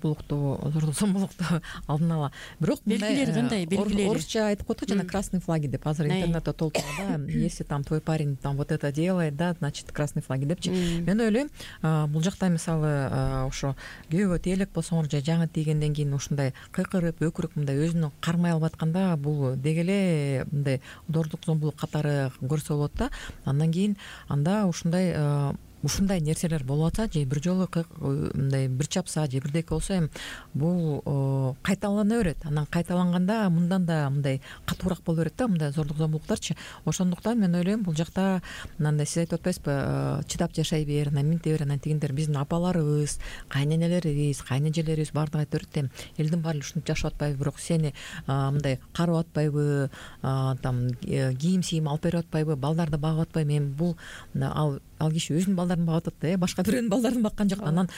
зомбулукту алдын ала. Бирок белгилери кандай? Белгилери орусча айтып коет жана красный флаги деп. Азыр интернетте толтурганда если там твой парень там вот это делает, да, значит красный флаги депчи. Мен ойлойм, бул жакта мисалы ошо күйөөгө тиелек болсоңор же жаңы тийгенден кийин ушундай кыйкырып, өкүрүп мындай өзүнүн кармай алып атканда бул деги эле мындай зордук зомбулук катары көрсө болот да. Андан кийин анда ушундай нерселер болуп атса, же бир жолу мындай бир чапса, же бирдеке болсо, эми бул кайталана берет. Анан кайталанганда мындан да мындай катуураак боло берет да, мындай зордук зомбулуктарчы. Ошондуктан мен ойлойм, бул жакта мындай сиз айтып атпайсызбы, чыдап жашай бер, анан минте бер, анан тигиндер биздин апаларыбыз, кайненелерибиз, кайнэжелерибиз баардыгы айтып берет. Элдин баары ушинтип жашап атпайбы, бирок сени мындай карып атпайбы, там кийим алып берип атпайбы, балдарды багып атпайбы. Эми бул ал киши өзүнүн балдарын багып атат да, башка бирөөнүн балдарын баккан жок. Анан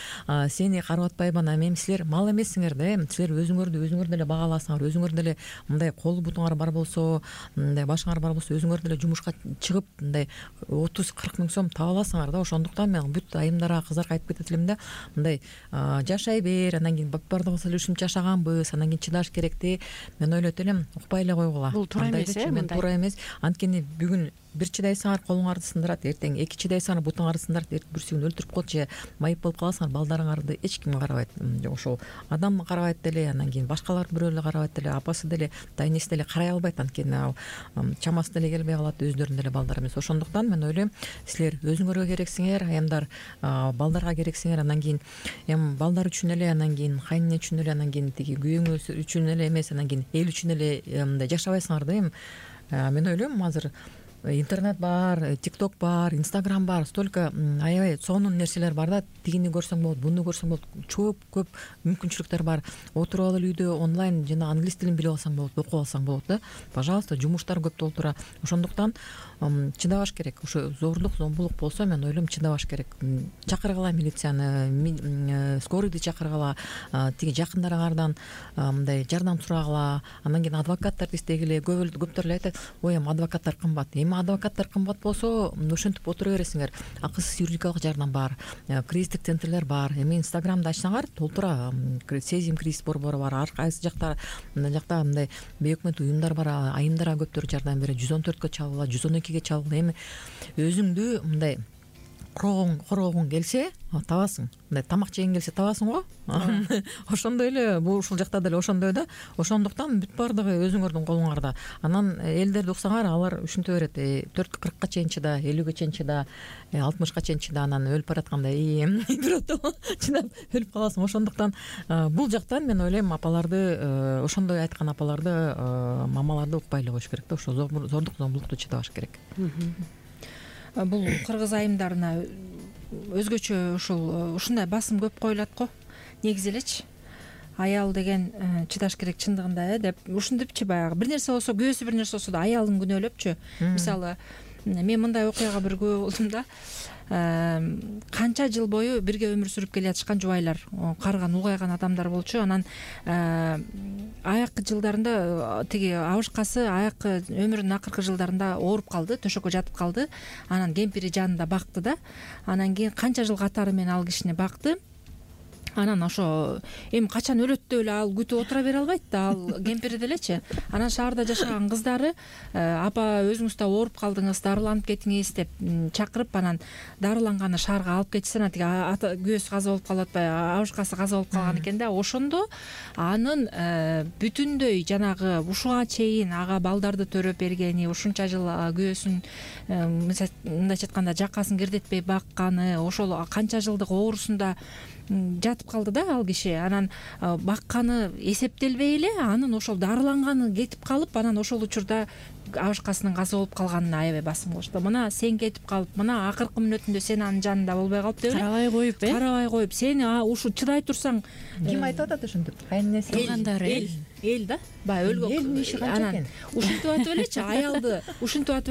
сени карап атпайбы, анан эми силер мал эмессиңер да, силер өзүңөр деле бага аласыңар, өзүңөр деле мындай кол бутуңар бар болсо, мындай башыңар бар болсо, өзүңөр деле жумушка чыгып мындай 30-40 миң сом таба аласыңар да. Ошондуктан мен бүт айымдарга, кыздарга айтып кетет элем да, мындай жашай бер, анан кийин баардыгыбыз эле ушинтип жашаганбыз, анан кийин чыдаш керекти. Мен ойлойт элем, укпай эле койгула. Бул туура эмес, мен туура эмес. Анткени бүгүн бир чыдайсыңар колуңарды сындырат, эртең 2 чыдайсыңар бутуңарды сындырат, бирсүгүн өлтүрүп коет же майып болуп каласыңар, балдарыңарды эч ким карабайт. Ошол адам карабайт деле, андан кийин башкалар бирөө эле карабайт деле, апасы деле, дайнеси деле карай албайт. Анткени чамасы деле келбей калат, өздөрүнүн деле балдары эмес. Ошондуктан мен ойлойм, силер өзүңөргө керексиңер, аямдар балдарга керексиңер, андан кийин эми балдар үчүн эле, андан кийин кайнене үчүн эле, андан кийин тиги күйөөңүз үчүн эле эмес, андан кийин эл үчүн эле мындай жашабайсыңар да. Эми мен ойлойм, азыр интернет бар, тикток бар, инстаграм бар, столько аябай сонун нерселер бар да. Тигини көрсөң болот, буну көрсөң болот, көп мүмкүнчүлүктөр бар. Отуруп алып үйдө онлайн жана англис тилин билип алсаң болот, окуп алсаң болот да. Пожалуйста, жумуштар көп толтура. Ошондуктан чыдабаш керек. Ошо зордук зомбулук болсо, мен ойлойм, чыдабаш керек. Чакыргыла милицияны, скорыйды чакыргыла, тиги жакындарыңардан мындай жардам сурагыла. Андан кийин адвокаттарды издегиле. Көптөр эле айтат, ой, эми адвокаттар кымбат. Эми адвокаттар кымбат болсо, ошентип отура бересиңер. Акысыз юридикалык жардам бар, кризистик центрлер бар. Эми инстаграмды ачсаңар, толтура сезим кризис борбору бар. Ар кайсы жакта мындай бейөкмөт уюмдар бар, айымдарга көптөр жардам берет. 114кө чалгыла, 112ге чалгыла. Эми өзүңдү мындай короогуң келсе табасың, мындай тамак жегиң келсе табасың го. Ошондой эле бул ушул жакта деле ошондой да. Ошондуктан бүт баардыгы өзүңөрдүн колуңарда. Анан элдерди уксаңар, алар ушинте берет, 40-ка чейин чыда, 50ге чейин чыда, 60ка чейин чыда, анан өлүп баратканда бирөөтө чыдап өлүп каласың. Ошондуктан бул жактан мен ойлойм, апаларды, ошондой айткан апаларды, мамаларды укпай эле коюш керек да. Ошо зордук зомбулукту чыдабаш керек. бул кыргыз айымдарына өзгөчө ушундай басым көп коюлат го негизи элечи. Аял деген чыдаш керек чындыгында деп ушинтипчи баягы бир нерсе болсо күйөөсү бир нерсе болсо да аялын күнөөлөпчү. Мисалы мен мындай окуяга бир күбө болдум да. Канча жыл бою бирге өмүр сүрүп келе жатышкан жубайлар, карыган улгайган адамдар болчу. Анан аяккы жылдарында тиги абышкасы аяккы өмүрүнүн акыркы жылдарында ооруп калды, төшөккө жатып калды. Анан кемпири жанында бакты да. Анан кийин канча жыл катары менен ал кишини бакты. Анан ошо эми качан өлөт деп эле ал күтүп отура бере албайт да, ал кемпири делечи. Анан шаарда жашаган кыздары апа өзүңүз да ооруп калдыңыз, дарыланып кетиңиз деп чакырып, анан дарыланганы шаарга алып кетишсе, анан тиги күйөөсү каза болуп калып атпайбы, абышкасы каза болуп калган экен да. Ошондо анын бүтүндөй жанагы ушуга чейин ага балдарды төрөп бергени, ушунча жыл күйөөсүн мындайча айтканда жакасын кирдетпей бакканы, ошол канча жылдык оорусунда жатып калды да ал киши. Анан бакканы эсептелбей эле анын ошол дарыланганы кетип калып, анан ошол учурда абышкасынын каза болуп калганына аябай басым кылышты. Мына сен кетип калып, мына акыркы мүнөтүндө сен анын жанында болбой калып деп эле карабай коюп, карабай коюп, сен ушу чыдай турсаң. Ким айтып атат ошентип? Кайненеси калгандары эл да, баягы өлгөн. Элдин иши канча экен? Ушинтип атып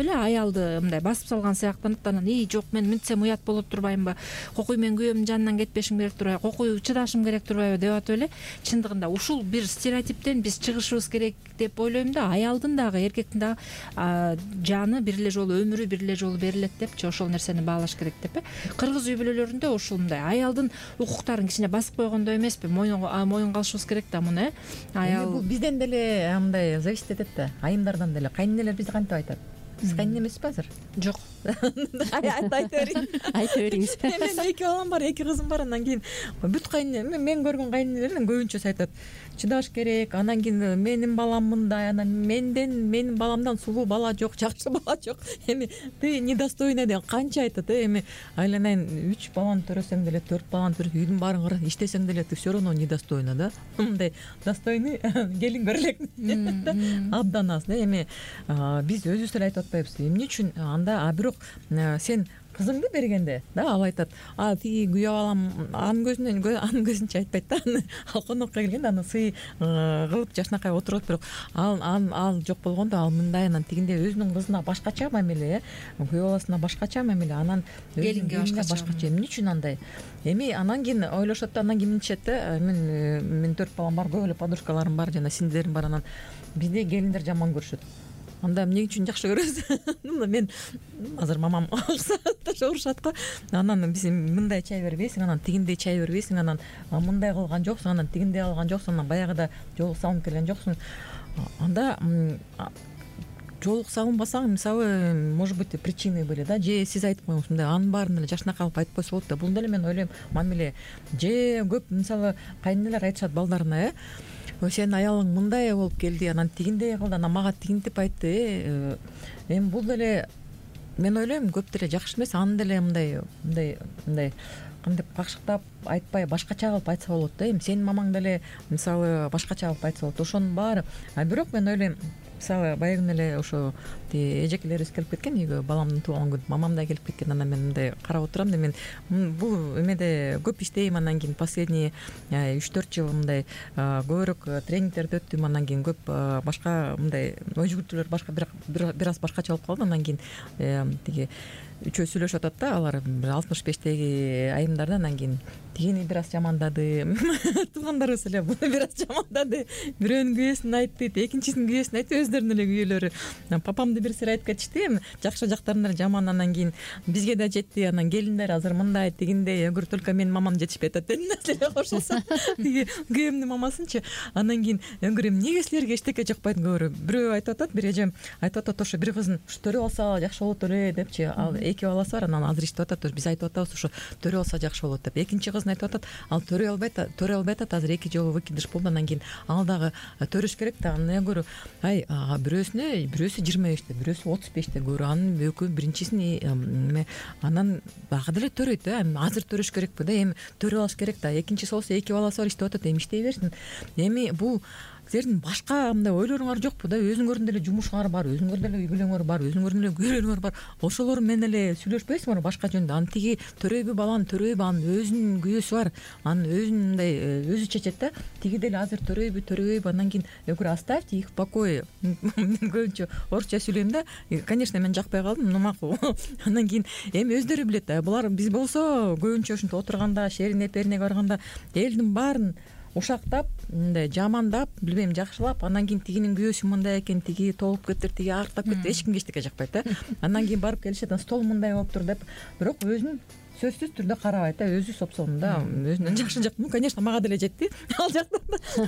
элечи, аялды мындай басып салган сыяктанып, анан жок мен мынтсем уят болуп турбаймынбы, кокуй мен күйөөмдүн жанынан кетпешим керек турбайбы, кокуй чыдашым керек турбайбы деп атып эле. Чындыгында ушул бир стереотиптен биз чыгышыбыз керек деп ойлойм да. Аялдын дагы эркектин дагы жаны бир эле жолу, өмүрү бир эле жолу берилет депчи, ошол нерсени баалаш керек деп. Кыргыз үй бүлөлөрүндө ушул мындай аялдын укуктарын кичине басып койгондой эмеспи, моюн калышыбыз керек да муну. Аял бул бизден деле мындай зависит этет да, айымдардан деле. Кайненелер бизди кантип айтат? Сиз кайнене эмессизби азыр? Жок. Айта бериңиз. Мен 2 балам бар, 2 кызым бар. Анан кийин бүт кайнене, мен көргөн кайненелердин көбүнчөсү айтат, чыдаш керек. Анан кийин менин балам мындай, анан менин баламдан сулуу бала жок, жакшы бала жок. Эми ты недостойный деп канча айтат. Эми айланайын 3 баланы төрөсөң деле, 4 баланы төрөсөң, үйдүн баарын иштесең деле ты все равно недостойна да. Мындай достойный келин көрөлек абдан аз да. Эми биз өзүбүз эле айтып атпайбызбы, эмне үчүн анда? Бирок сен кызыңды бергенде да, ал айтат, тиги күйөө балам анын көзүнчө айтпайт да, ал конокко келгенде аны сый кылып жашынакай отурат. Бирок ал жок болгондо ал мындай, анан тигинде өзүнүн кызына башкача мамиле, күйөө баласына башкача мамиле, анан келинге башкача. Эмне үчүн андай? Эми анан кийин ойлошот да, анан кийин мынтишет да, мен 4 балам бар, көп эле подружкаларым бар, жана сиңдилерим бар, анан бизди келиндер жаман көрүшөт. Анда эмне үчүн жакшы көрөсүз? Мен азыр мамам ошо урушат го. Анан биз мындай чай бербейсиң, анан тигиндей чай бербейсиң, анан мындай кылган жоксуң, анан тигиндей кылган жоксуң, анан баягыда жолук салынып келген жоксуң. Анда жолук салынбасаң, мисалы, может быть, причины были да, же сиз айтып коюңуз, мындай анын баарын эле жашынакай кылып айтып койсо болот да. Бул деле мен ойлойм мамиле. Же көп мисалы кайненелер айтышат балдарына, сен аялың мындай болуп келди, анан тигиндей кылды, анан мага тигинтип айтты. Эми бул деле мен ойлойм көп деле жакшы эмес. Аны деле мындай кантип какшыктап айтпай башкача кылып айтса болот да. Эми сенин мамаң деле мисалы башкача кылып айтса болот. Ошонун баары. Бирок мен ойлойм, мисалы баягы эле ошо эжекелерибиз келип кеткен үйгө, баламдын туулган күнү мамам да келип кеткен. Анан мен мындай карап отурам да, мен бул эмеде көп иштейм. Анан кийин последний 3-4 жыл мындай көбүрөөк тренингтерди өттүм. Анан кийин көп башка мындай ой жүгүртүүлөр башка бир аз башкача болуп калды. Анан кийин тиги үчөө сүйлөшүп атат да, алар 65-теги айымдар да. Анан кийин тигини бир аз жамандады, туугандарыбыз эле буну бир аз жамандады, бирөөнүн күйөөсүн айтты, экинчисинин күйөөсүн айтты, өздөрүнүн эле күйөөлөрү. Папамды бир сыйра айтып кетишти, эми жакшы жактарын эле жаман. Анан кийин бизге да жетти, анан келиндер азыр мындай тигиндей, эгер только менин мамам жетишпей атат деген нерселер кошулса, тиги күйөөмдүн мамасынчы. Анан кийин эгер эмнеге силерге эчтеке жакпайт, бирөө айтып атат, бир эжем айтып атат, ошо бир кызын төрөп алса жакшы болот эле депчи. Ал 2 баласы бар, анан азыр иштеп атат, биз айтып атабыз ошо төрөп алса жакшы болот деп. Экинчи кызын айтып атат, ал төрөй албайт атат, азыр 2 жолу выкидыш болду. Анан кийин ал дагы төрөш керек да. Анан көрү, бирөөсү 25-те, бирөөсү 35-те көрү, анын экөө биринчисин анан дагы деле төрөйт да. Азыр төрөш керекпи да, эми төрөп алыш керек да. Экинчиси болсо 2 баласы бар, иштеп атат, эми иштей берсин. Эми бул силердин башка мындай ойлоруңар жокпу да? Өзүңөрдүн деле жумушуңар бар, өзүңөрдүн деле үй бүлөңөр бар, өзүңөрдүн деле күйөөлөрүңөр бар. Ошолор менен эле сүйлөшпөйсүңөрбү башка жөнүндө? Анан тиги төрөйбү баланы төрөйбү, анын өзүнүн күйөөсү бар, анын өзүнүн мындай өзү чечет да. Тиги деле азыр төрөйбү, андан кийин оставьте их в покое. Мен көбүнчө орусча сүйлөйм да. Конечно, мен жакпай калдым, но макул. Андан кийин эми өздөрү билет. Булар биз болсо көбүнчө ушинтип отурганда, шерине перине барганда элдин баарын ушактап, мындай жамандап, билбейм, жакшылап, андан кийин тигинин күйөөсү мындай экен, тиги толуп кетти, тиги артап кетти. Эч кимге эчтеке жакпайт да. Андан кийин барып келишет, стол мындай болуптур деп, бирок өзүн сөзсүз түрдө карабайт да, өзү сопсонунда өзүнөн жакшы жак. Конечно, мага деле жетти. Ал жактан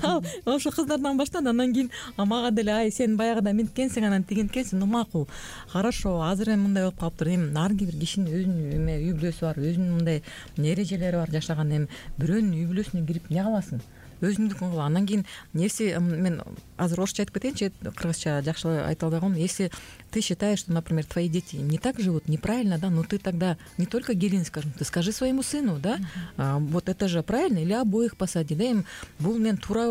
ал ошо кыздардан баштады. Андан кийин мага деле ай сен баягыда минткенсиң, анан тигинткенсиң. Макул, хорошо, азыр эми мындай болуп калыптыр. Эми ар бир кишинин өзүнүн эме үй бүлөсү бар, өзүнүн мындай эрежелери бар жашаган. Эми бирөөнүн үй бүлөсүнө кирип эмне кыласың? Өзүңдүкүн кыл. Андан кийин если мен азыр орусча айтып кетейинчи, кыргызча жакшы айта албай калдым. Если ты считаешь, что, например, твои дети не так живут, неправильно, да, но ты тогда не только Гелин скажем, ты скажи своему сыну, да, вот это же правильно, или обоих посади, да, эми бул мен туура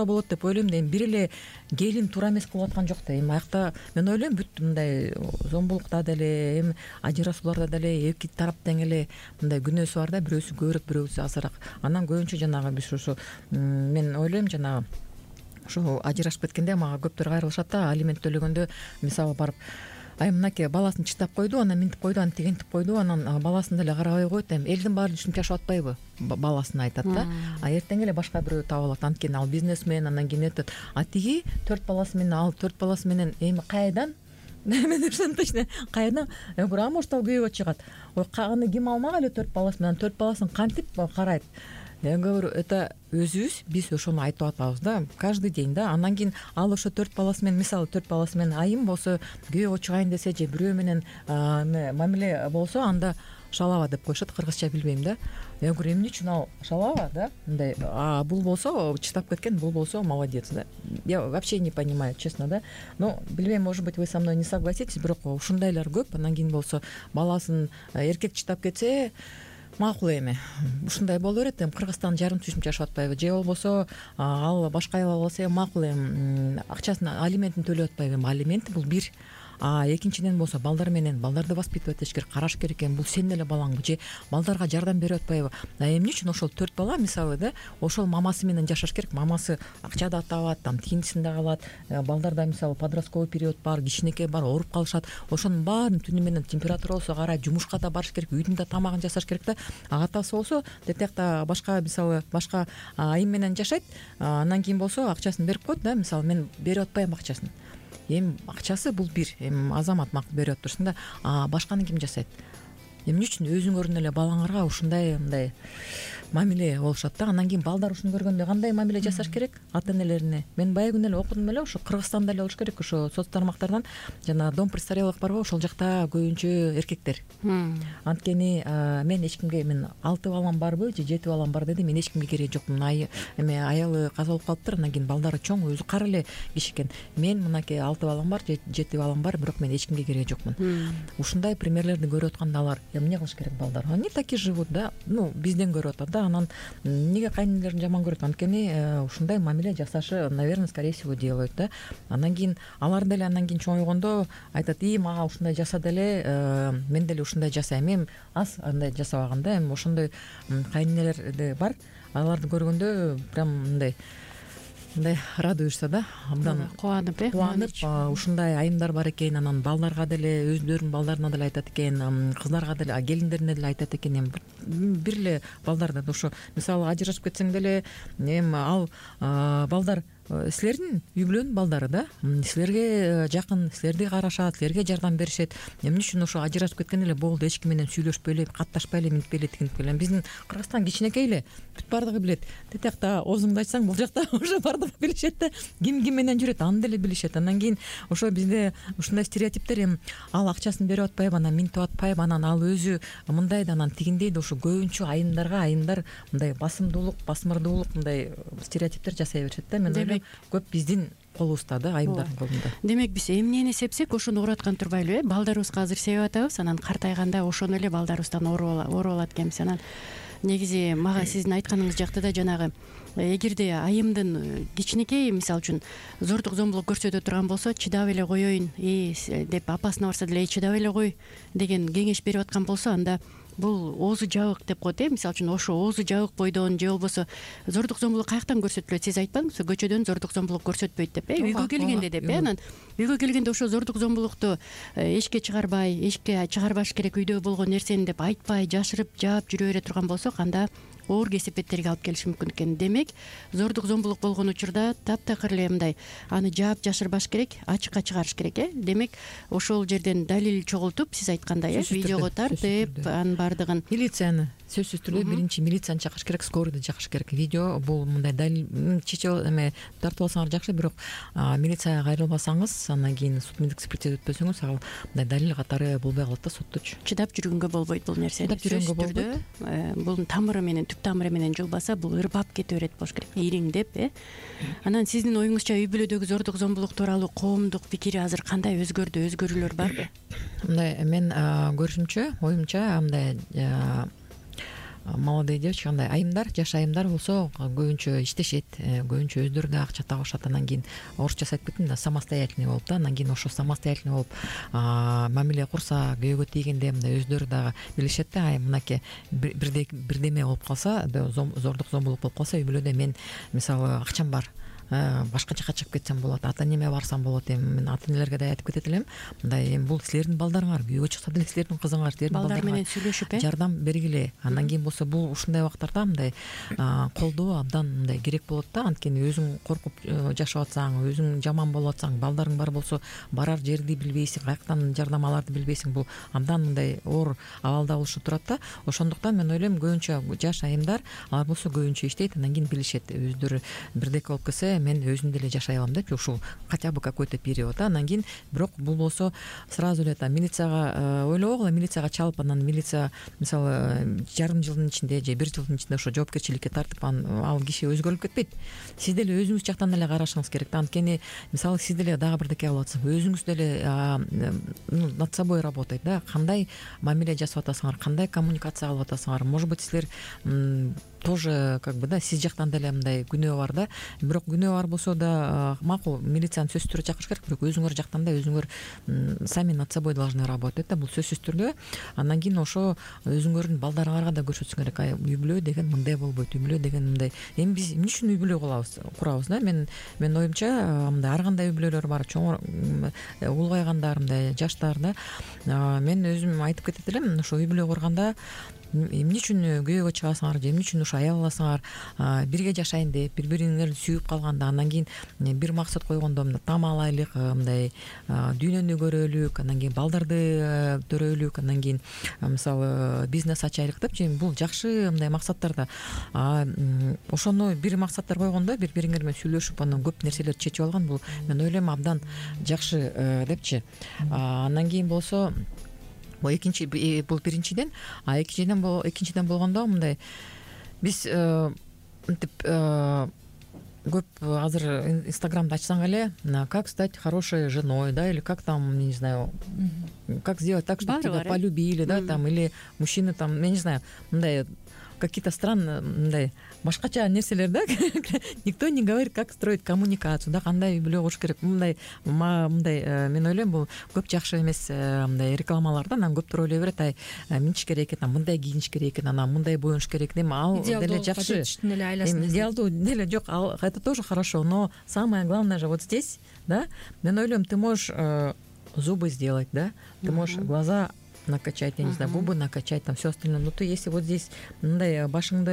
болот деп ойлойм да. Эми бир эле Гелин туура эмес кылып аткан жок да. Эми аякта мен ойлойм бүт мындай зомбулукта деле, эми ажырашууларда деле эки тараптан эле мындай күнөөсү бар да, бирөөсү көбүрөөк, бирөөсү азыраак. Анан көбүнчө жанагы биз ушу мен ойлойм жанагы ошо ажырашып кеткенде мага көптөр кайрылышат да, алимент төлөгөндө мисалы барып ай мынакей баласын чыштап койду, анан минтип койду, анан тигинтип койду, анан баласын деле карабай койт. Эми элдин баары түшүнүп жашап атпайбы? Баласына айтат да. Эртең эле башка бирөө таап алат. Анткени ал бизнесмен, андан кийин өтөт. Тиги 4 баласы менен, ал 4 баласы менен эми кайдан? Мен ушуну точно кайдан? Может ал күйөөгө чыгат. Аны ким алмак эле 4 баласы менен? 4 баласын кантип карайт? Эң көбүрө это өзүбүз биз ошону айтып атабыз да, каждый день да. Андан кийин ал ошо 4 баласы менен, мисалы 4 баласы менен айым болсо, күйөөгө чыгайын десе же бирөө менен мамиле болсо, анда шалава деп коюшат, кыргызча билбейм да. Мен көрөм эмне үчүн ал шалава да, мындай. Бул болсо чыдап кеткен, бул болсо молодец да. Я вообще не понимаю, честно да. Но билбейм, может быть, вы со мной не согласитесь, бирок ушундайлар көп. Андан кийин болсо баласын эркек чыдап кетсе, макул эми ушундай боло берет. Эми Кыргызстан жарым түшүнүп жашап атпайбы? Же болбосо ал башка аял болсо макул, эми акчасын, алиментин төлөп атпайбы? Эми алимент бул бир. Экинчиден болсо балдар менен, балдарды воспитывать этиш керек, караш керек экен. Бул сенин эле балаңбы же балдарга жардам берип атпайбы? Эмне үчүн ошол 4 бала мисалы да, ошол мамасы менен жашаш керек? Мамасы акча да табат, там тигинтисин да калат. Балдарда мисалы подростковый период бар, кичинекей бар, ооруп калышат. Ошонун баарын түнү менен температура болсо карайт, жумушка да барыш керек, үйдүн да тамагын жасаш керек да. Атасы болсо детекта башка мисалы башка айым менен жашайт. Андан кийин болсо акчасын берип койт да, мисалы мен берип атпайм акчасын. Эми акчасы бул бир, эми азамат макул берип атырсың да, башканы ким жасайт? Эмне үчүн өзүңөрдүн эле балаңарга ушундай мындай мамиле болушат да? Андан кийин балдар ушуну көргөндө кандай мамиле жасаш керек ата энелерине? Мен баягы күнү эле окудум эле, ошо Кыргызстанда эле болуш керек, ошо соц тармактардан жана дом престарелых барбы, ошол жакта көбүнчө эркектер. Анткени мен эч кимге, мен 6 балам барбы же 7 балам бар деди, мен эч кимге кереги жокмун. Эми аялы каза болуп калыптыр, андан кийин балдары чоң, өзү кара эле киши экен. Мен мынакей 6 балам бар, 7 балам бар, бирок мен эч кимге кереги жокмун. Ушундай примерлерди көрүп атканда алар эмне кылыш керек балдар? Они таки живут да, бизден көрүп атат да. Анан эмнеге кайнэнелерин жаман көрөт? Анткени ушундай мамиле жасашы, наверное, скорее всего делают да. Андан кийин алар деле андан кийин чоңойгондо айтат: мага ушундай жаса деле, мен деле ушундай жасайм. Эми аз андай жасабаган да. Эми ошондой кайнэнелер бар. Аларды көргөндө прям мындай радуешься да, абдан кубанып ушундай айымдар бар экен. Анан балдарга деле, өздөрүнүн балдарына деле айтат экен, кыздарга деле, келиндерине деле айтат экен. Эми бир эле балдар да, ошо мисалы ажырашып кетсең деле, эми ал балдар силердин үй бүлөнүн балдары да, силерге жакын, силерди карашат, силерге жардам беришет. Эмне үчүн ошо ажырашып кеткен эле болду, эч ким менен сүйлөшпөй эле, катташпай эле, минтпей эле, тигинтпей эле? Биздин Кыргызстан кичинекей эле, бүт бардыгы билет. Тетиякта оозуңду ачсаң, бул жакта ошо бардыгы билишет да, ким менен жүрөт, аны деле билишет. Андан кийин ошо бизде ушундай стереотиптер, эми ал акчасын берип атпайбы, анан минтип атпайбы, анан ал өзү мындай да, анан тигиндей да. Ошо көбүнчө айымдар мындай басмырдуулук мындай стереотиптер жасай беришет да. Мен ойлойм көп биздин колубузда да, айымдардын колунда. Демек биз эмнени сепсек ошону ураткан турбайлыбы? Балдарыбызга азыр себип атабыз, анан картайганда ошону эле балдарыбыздан ооруп алат экенбиз. Анан негизи мага сиздин айтканыңыз жакта да жанагы эгерде айымдын кичинекей мисалы үчүн зордук зомбулук көрсөтө турган болсо чыдап эле коеюн деп апасына барса деле чыдап эле кой деген кеңеш берип аткан болсо анда бул оозу жабык деп коет мисалы үчүн ошо оозу жабык бойдон же болбосо зордук зомбулук каяктан көрсөтүлөт сиз айтпадыңызбы көчөдөн зордук зомбулук көрсөтпөйт деп үйгө келгенде деп анан үйгө келгенде ошо зордук зомбулукту эшикке чыгарбай эшикке чыгарбаш керек үйдө болгон нерсени деп айтпай жашырып жаап жүрө бере турган болсок анда оор кесепеттерге алып келиши мүмкүн экен. Демек зордук зомбулук болгон учурда таптакыр эле мындай аны жаап жашырбаш керек, ачыкка чыгарыш керек. Демек ошол жерден далил чогултуп сиз айткандай видеого тартып анын баардыгын милицияны сөзсүз түрдө биринчи милицияны чакырыш керек, скорыйды чакырыш керек. Видео бул мындай далил чечип тартып алсаңар жакшы, бирок милицияга кайрылбасаңыз андан кийин судмедик экспертиза өтпөсөңүз ал мындай далил катары болбой калат да сотточу. Чыдап жүргөнгө болбойт бул нерсени. Чыдап жүргөнгө болбойт. Бул тамыры менен түп тамыры менен жулбаса бул ырбап кете берет болуш керек, ириңдеп. Анан сиздин оюңузча үй бүлөдөгү зордук зомбулук тууралуу коомдук пикири азыр кандай өзгөрдү, өзгөрүүлөр барбы? Мындай мен көрүшүмчө, оюмча мындай молодые девочки, андай айымдар, жаш айымдар болсо көбүнчө иштешет, көбүнчө өздөрү да акча табышат, анан кийин орусча айтып кеттим да, самостоятельный болуп да, анан кийин ошо самостоятельный болуп мамиле курса, күйөөгө тийгенде мындай өздөрү дагы билишет да, мынакей бирдеме болуп калса, зордук зомбулук болуп калса үй бүлөдө мен мисалы акчам бар, башка жака чыгып кетсем болот, ата энеме барсам болот, эми мен ата энелерге да айтып кетет элем, мындай эми бул силердин балдарыңар, күйөөгө чыкса деле силердин кызыңар, силердин балдар менен сүйлөшүп жардам бергиле. Андан кийин болсо бул ушундай убактарда мындай колдоо абдан мындай керек болот да, анткени өзүң коркуп жашап атсаң, өзүң жаман болуп атсаң, балдарың бар болсо барар жерди билбейсиң, каяктан жардам аларды билбейсиң, бул абдан мындай оор абалда болушу турат да. Ошондуктан мен ойлойм көбүнчө жаш айымдар алар болсо көбүнчө иштейт, андан кийин билишет, өздөрү бирдеке болуп кетсе мен өзүм деле жашай алам деп, ушул хотя бы какой-то период. Андан кийин бирок бул болсо сразу эле милицияга ойлобогула, милицияга чалып, анан милиция мисалы жарым жылдын ичинде же бир жылдын ичинде ошо жоопкерчиликке тартып, ал киши өзгөрүлүп кетпейт. Сиз деле өзүңүз жактан деле карашыңыз керек да, анткени мисалы сиз деле дагы бирдеке кылып атсаңыз, өзүңүз деле над собой работать да, кандай мамиле жасап атасыңар, кандай коммуникация кылып атасыңар, может быть силер тоже как бы да, сиз жактан деле мындай күнөө бар да, бирок күнөө бар болсо да макул, милицияны сөзсүз түрдө чакырыш керек, бирок өзүңөр жактан да өзүңөр сами над собой должны работать да, бул сөзсүз түрдө. Андан кийин ошо өзүңөрдүн балдарыңарга да көрсөтсөң керек, үй бүлө деген мындай болбойт, үй бүлө деген мындай. Эми биз эмне үчүн үй бүлө курабыз да? Мен оюмча мындай ар кандай үй бүлөлөр бар, чоң улгайгандар, мындай жаштар да. Мен өзүм айтып кетет элем, ошо үй бүлө курганда эмне үчүн күйөөгө чыгасыңар же эмне үчүн ушу аял аласыңар, бирге жашайын деп, бири бириңерди сүйүп калганда, андан кийин бир максат койгондо мындай там алайлык, мындай дүйнөнү көрөлүк, андан кийин балдарды төрөлүк, андан кийин мисалы бизнес ачайлык деп, бул жакшы мындай максаттар да. Ошону бир максаттар койгондо бири бириңер менен сүйлөшүп, анан көп нерселерди чечип алган, бул мен ойлойм абдан жакшы депчи. Андан кийин болсо бул биринчиден, экинчиден болгондо мындай биз мынтип көп азыр инстаграмды ачсаң эле, как стать хорошей женой, да, или как там, не знаю, как сделать так, чтобы тебя полюбили, да, там, или мужчины там, я не знаю, мындай какие-то странные мындай башкача нерселер да. Никто не говорит, как строить коммуникацию, да, кандай үй бүлө куруш керек. Мындай мен ойлойм, бул көп жакшы эмес мындай рекламалар да, анан көптөр ойлой берет, минтиш керек экен, мындай кийиниш керек экен, анан мындай боюнуш керек экен. Ал деле жакшы. Идеалдуу деле жок, это тоже хорошо, но самое главное же вот здесь, да, мен ойлойм, ты можешь зубы сделать, да, ты можешь глаза накачать, я не знаю, губы накачать, там все остальное. Но ты если вот здесь мындай башыңды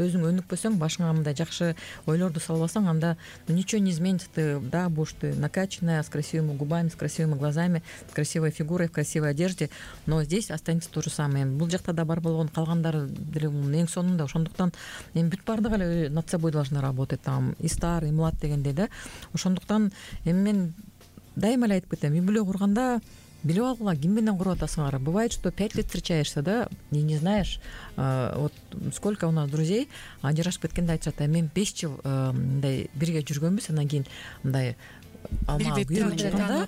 өзүң өнүкпөсөң, башыңа мындай жакшы ойлорду салбасаң, анда ничего не изменится. Ты, да, будешь ты накачанная, с красивыми губами, с красивыми глазами, с красивой фигурой, в красивой одежде, но здесь останется то же самое. Бул жакта да бар болгон, калгандары деле эң сонунда. Ошондуктан эми бүт баардыгы эле над собой должны работать, там и стар, и млад дегендей да. Ошондуктан эми мен дайыма эле айтып кетем, үй бүлө курганда билип алгыла, ким менен куруп атасыңар. Бывает, что 5 лет встречаешься, да, и не знаешь, вот сколько у нас друзей ажырашып кеткенде айтышат, мен 5 жыл мындай бирге жүргөнбүз, андан кийин мындай алма күйөөгө чыкканда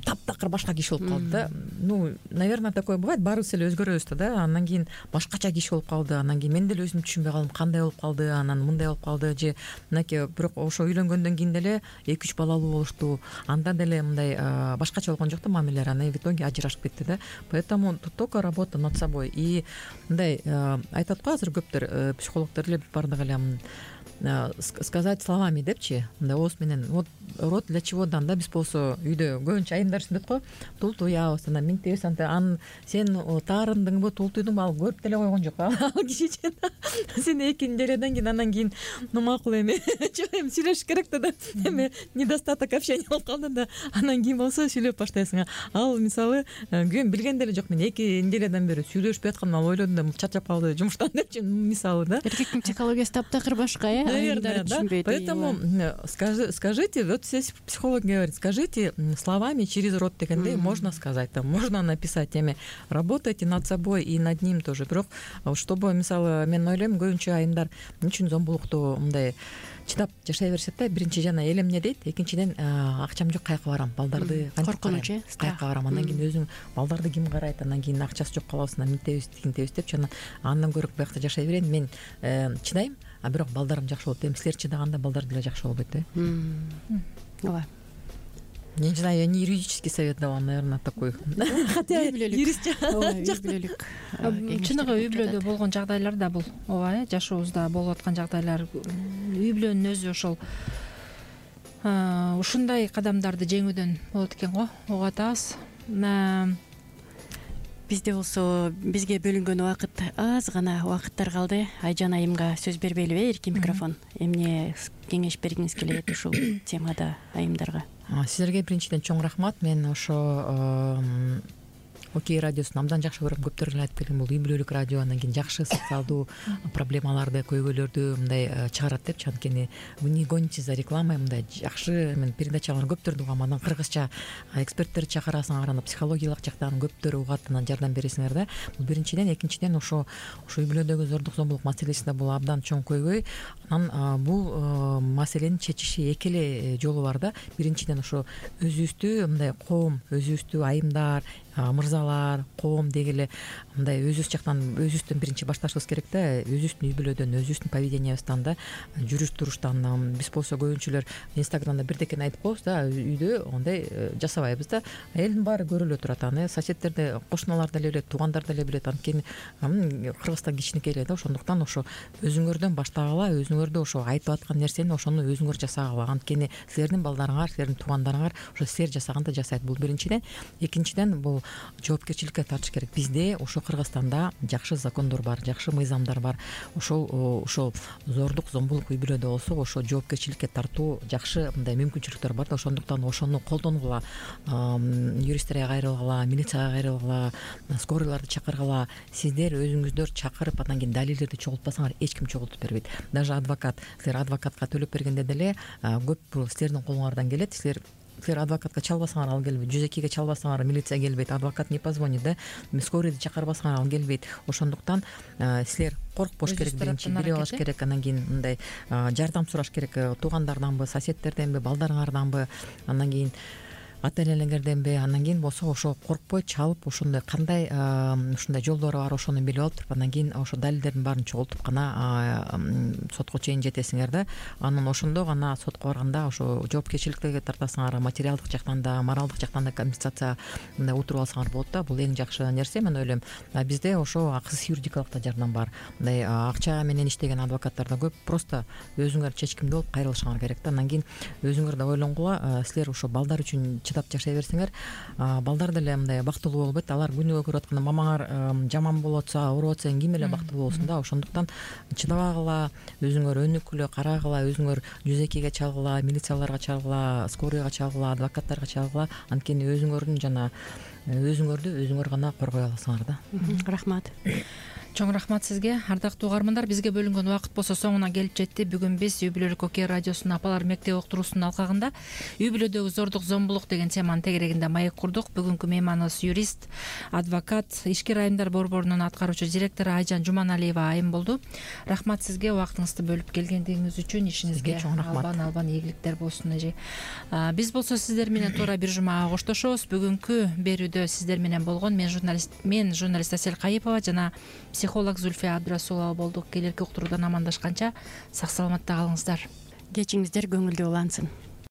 таптакыр башка киши болуп калды да. Ну, наверное, такое бывает, баарыбыз эле өзгөрөбүз да. Андан кийин башкача киши болуп калды. Андан кийин мен деле өзүм түшүнбөй калдым, кандай болуп калды, анан мындай болуп калды же мынакей. Бирок ошо үйлөнгөндөн кийин деле 2-3 балалуу болушту. Анда деле мындай башкача болгон жок да мамилелер. Анан в итоге ажырашып кетти да. Поэтому только работа над собой. И мындай айтат го азыр көптөр психологдор эле бардык эле сказать словами депчи, мындай ооз менен. Вот рот для чего дан да, биз болсо үйдө көбүнчө айымдар сүнөт го, тултуябыз, анан миңтебиз, аны сен таарындыңбы, тултуйдуңбу, ал көрүп деле койгон жок. Ал кишичи сен экинчи жарыядан кийин анан кийин макул эми жок эми сүйлөшүш керек да, эми недостаток общения болуп калды да, анан кийин болсо сүйлөп баштайсың. Ал мисалы күн билген деле жок, мен экинчи жарыядан бери сүйлөшпөй атканымды ал ойлодум да, чарчап калды жумуштан депчи, мисалы да. Эркектин психологиясы таптакыр башка, наверное, да. Поэтому скажите, вот здесь психолог говорит, скажите словами через рот дегенде можно сказать, там можно написать, эми работайте над собой и над ним тоже. Бирок чтобы мисалы мен ойлойм көбүнчө айымдар эмне үчүн зомбулукту мындай чыдап жашай беришет да. Биринчи жана эл эмне дейт, экинчиден акчам жок, каяка барам, балдарды коркунуч, каяка барам, андан кийин өзүң балдарды ким карайт, андан кийин акчасы жок калабыз, мынтебиз тигинтебиз деп жана андан көрө биякта жашай берейин, мен чыдайм, а бирок балдарым жакшы болот. Эми силер чыдаганда балдар деле жакшы болбойт да. Ооба. Не знаю, я не юридический совет давала, наверное, такой. Хотя юрист. Ой бүлөлүк. Чыныгы үй бүлөдө болгон жагдайлар да бул. Ооба, жашообузда болуп аткан жагдайлар, үй бүлөнүн өзү ошол ушундай кадамдарды жеңүүдөн болот экен го. Угуп атабыз. Бизде болсо бизге бөлүнгөн убакыт аз гана убакыттар калды. Айжан айымга сөз бербейлиби? Эркин микрофон. Эмне кеңеш бергиңиз келет ушул темада айымдарга? Силерге биринчиден чоң рахмат. Мен ошо Окей радиосун абдан жакшы көрөм. Көптөр эле айтып келген, бул үй бүлөлүк радио, андан кийин жакшы социалдуу проблемаларды, көйгөйлөрдү мындай чыгарат депчи. Анткени вы не гоните за рекламой, мындай жакшы мен передачалар көптөрдү угам. Анан кыргызча эксперттерди чакырасыңар, анан психологиялык жактан көптөр угат, анан жардам бересиңер да. Бул биринчиден. Экинчиден, ошо үй бүлөдөгү зордук зомбулук маселеси да бул абдан чоң көйгөй. Анан бул маселени чечиши эки эле жолу бар да. Биринчиден, ошо өзүбүздү мындай коом, өзүбүздү айымдар, мырзалар, коом дегеле мындай өзүбүз жактан, өзүбүздөн биринчи башташыбыз керек да. Өзүбүздүн үй бүлөдөн, өзүбүздүн поведениябыздан да, жүрүш туруштан. Биз болсо көбүнчөлөр инстаграмда бирдекени айтып коебуз да, үйдө андай жасабайбыз да. Элдин баары көрүп эле турат, аны соседтерде, кошуналар деле билет, туугандар деле билет. Анткени Кыргызстан кичинекей эле да, ошондуктан ошо өзүңөрдөн баштагыла, өзүңөрдө ошо айтып аткан нерсени ошону өзүңөр жасагыла. Анткени силердин балдарыңар, силердин туугандарыңар ошо силер жасаганды жасайт. Бул биринчиден. Экинчиден, бул жоопкерчиликке тартыш керек. Бизде ошо Кыргызстанда жакшы закондор бар, жакшы мыйзамдар бар. Ошол зордук, зомбулук үй бүлөдө болсо, ошо жоопкерчиликке тартуу жакшы мындай мүмкүнчүлүктөр бар да. Ошондуктан ошону колдонгула, юристтерге кайрылгыла, милицияга кайрылгыла, скорыйларды чакыргыла. Сиздер өзүңүздөр чакырып, андан кийин далилдерди чогултпасаңар, эч ким чогултуп бербейт. Даже адвокат, силер адвокатка төлөп бергенде деле көп силердин колуңардан келет. Силер адвокатка чалбасаңар, ал келбейт. 102ге чалбасаңар, милиция келбейт. Адвокат не позвонит да. Скорыйды чакырбасаңар, ал келбейт. Ошондуктан силер коркпош керек, биринчи билип алыш керек. Андан кийин мындай жардам сураш керек, туугандарданбы, соседтерденби, балдарыңарданбы, андан кийин ата-энелерденби. Андан кийин болсо ошо коркпой чалып, ошондой кандай ушундай жолдору бар, ошону билип алып туруп, андан кийин ошо далилдердин баарын чогултуп гана сотко чейин жетесиңер да. Анан ошондо гана сотко барганда ошо жоопкерчиликке тартасыңар, материалдык жактан да, моралдык жактан да компенсация мындай утуруп алсаңар болот да. Бул эң жакшы нерсе, мен ойлойм. Бизде ошо акысыз юридикалык да жардам бар. Мындай акча менен иштеген адвокаттар да көп. Просто өзүңөр чечкиндүү болуп кайрылышыңар керек да. Андан кийин өзүңөр да ойлонгула, силер ошо балдар үчүн чыдап жашай берсеңер, балдар деле мындай бактылуу болбойт. Алар күнүгө көрүп атканда мамаңар жаман болуп атса, ооруп атса, ким эле бактылуу болсун да. Ошондуктан чыдабагыла, өзүңөр өнүккүлө карагыла, өзүңөр 102ге чалгыла, милицияларга чалгыла, скорыйга чалгыла, адвокаттарга чалгыла. Анткени өзүңөрдү өзүңөр гана коргой аласыңар да. Рахмат. Чоң рахмат сизге. Ардактуу угармандар, бизге бөлүнгөн убакыт болсо соңуна келип жетти. Бүгүн биз үй бүлөлүк окей радиосунун апалар мектеби уктуруусунун алкагында үй бүлөдөгү зордук, зомбулук деген теманын тегерегинде маек курдук. Бүгүнкү мейманыбыз юрист, адвокат, ички айымдар борборунун аткаруучу директору Айжан Жуманалиева айым болду. Рахмат сизге убактыңызды бөлүп келгендигиңиз үчүн. Ишиңизге албан ийгиликтер болсун эже. Биз болсо сиздер менен туура бир жумага коштошобуз. Бүгүнкү берүүдө сиздер менен болгон мен журналист Асель Кайыпова жана психолог Зульфия Абдрасулова болдук. Келерки уктуруудан амандашканча сак саламатта калыңыздар. Кечиңиздер көңүлдүү улансын.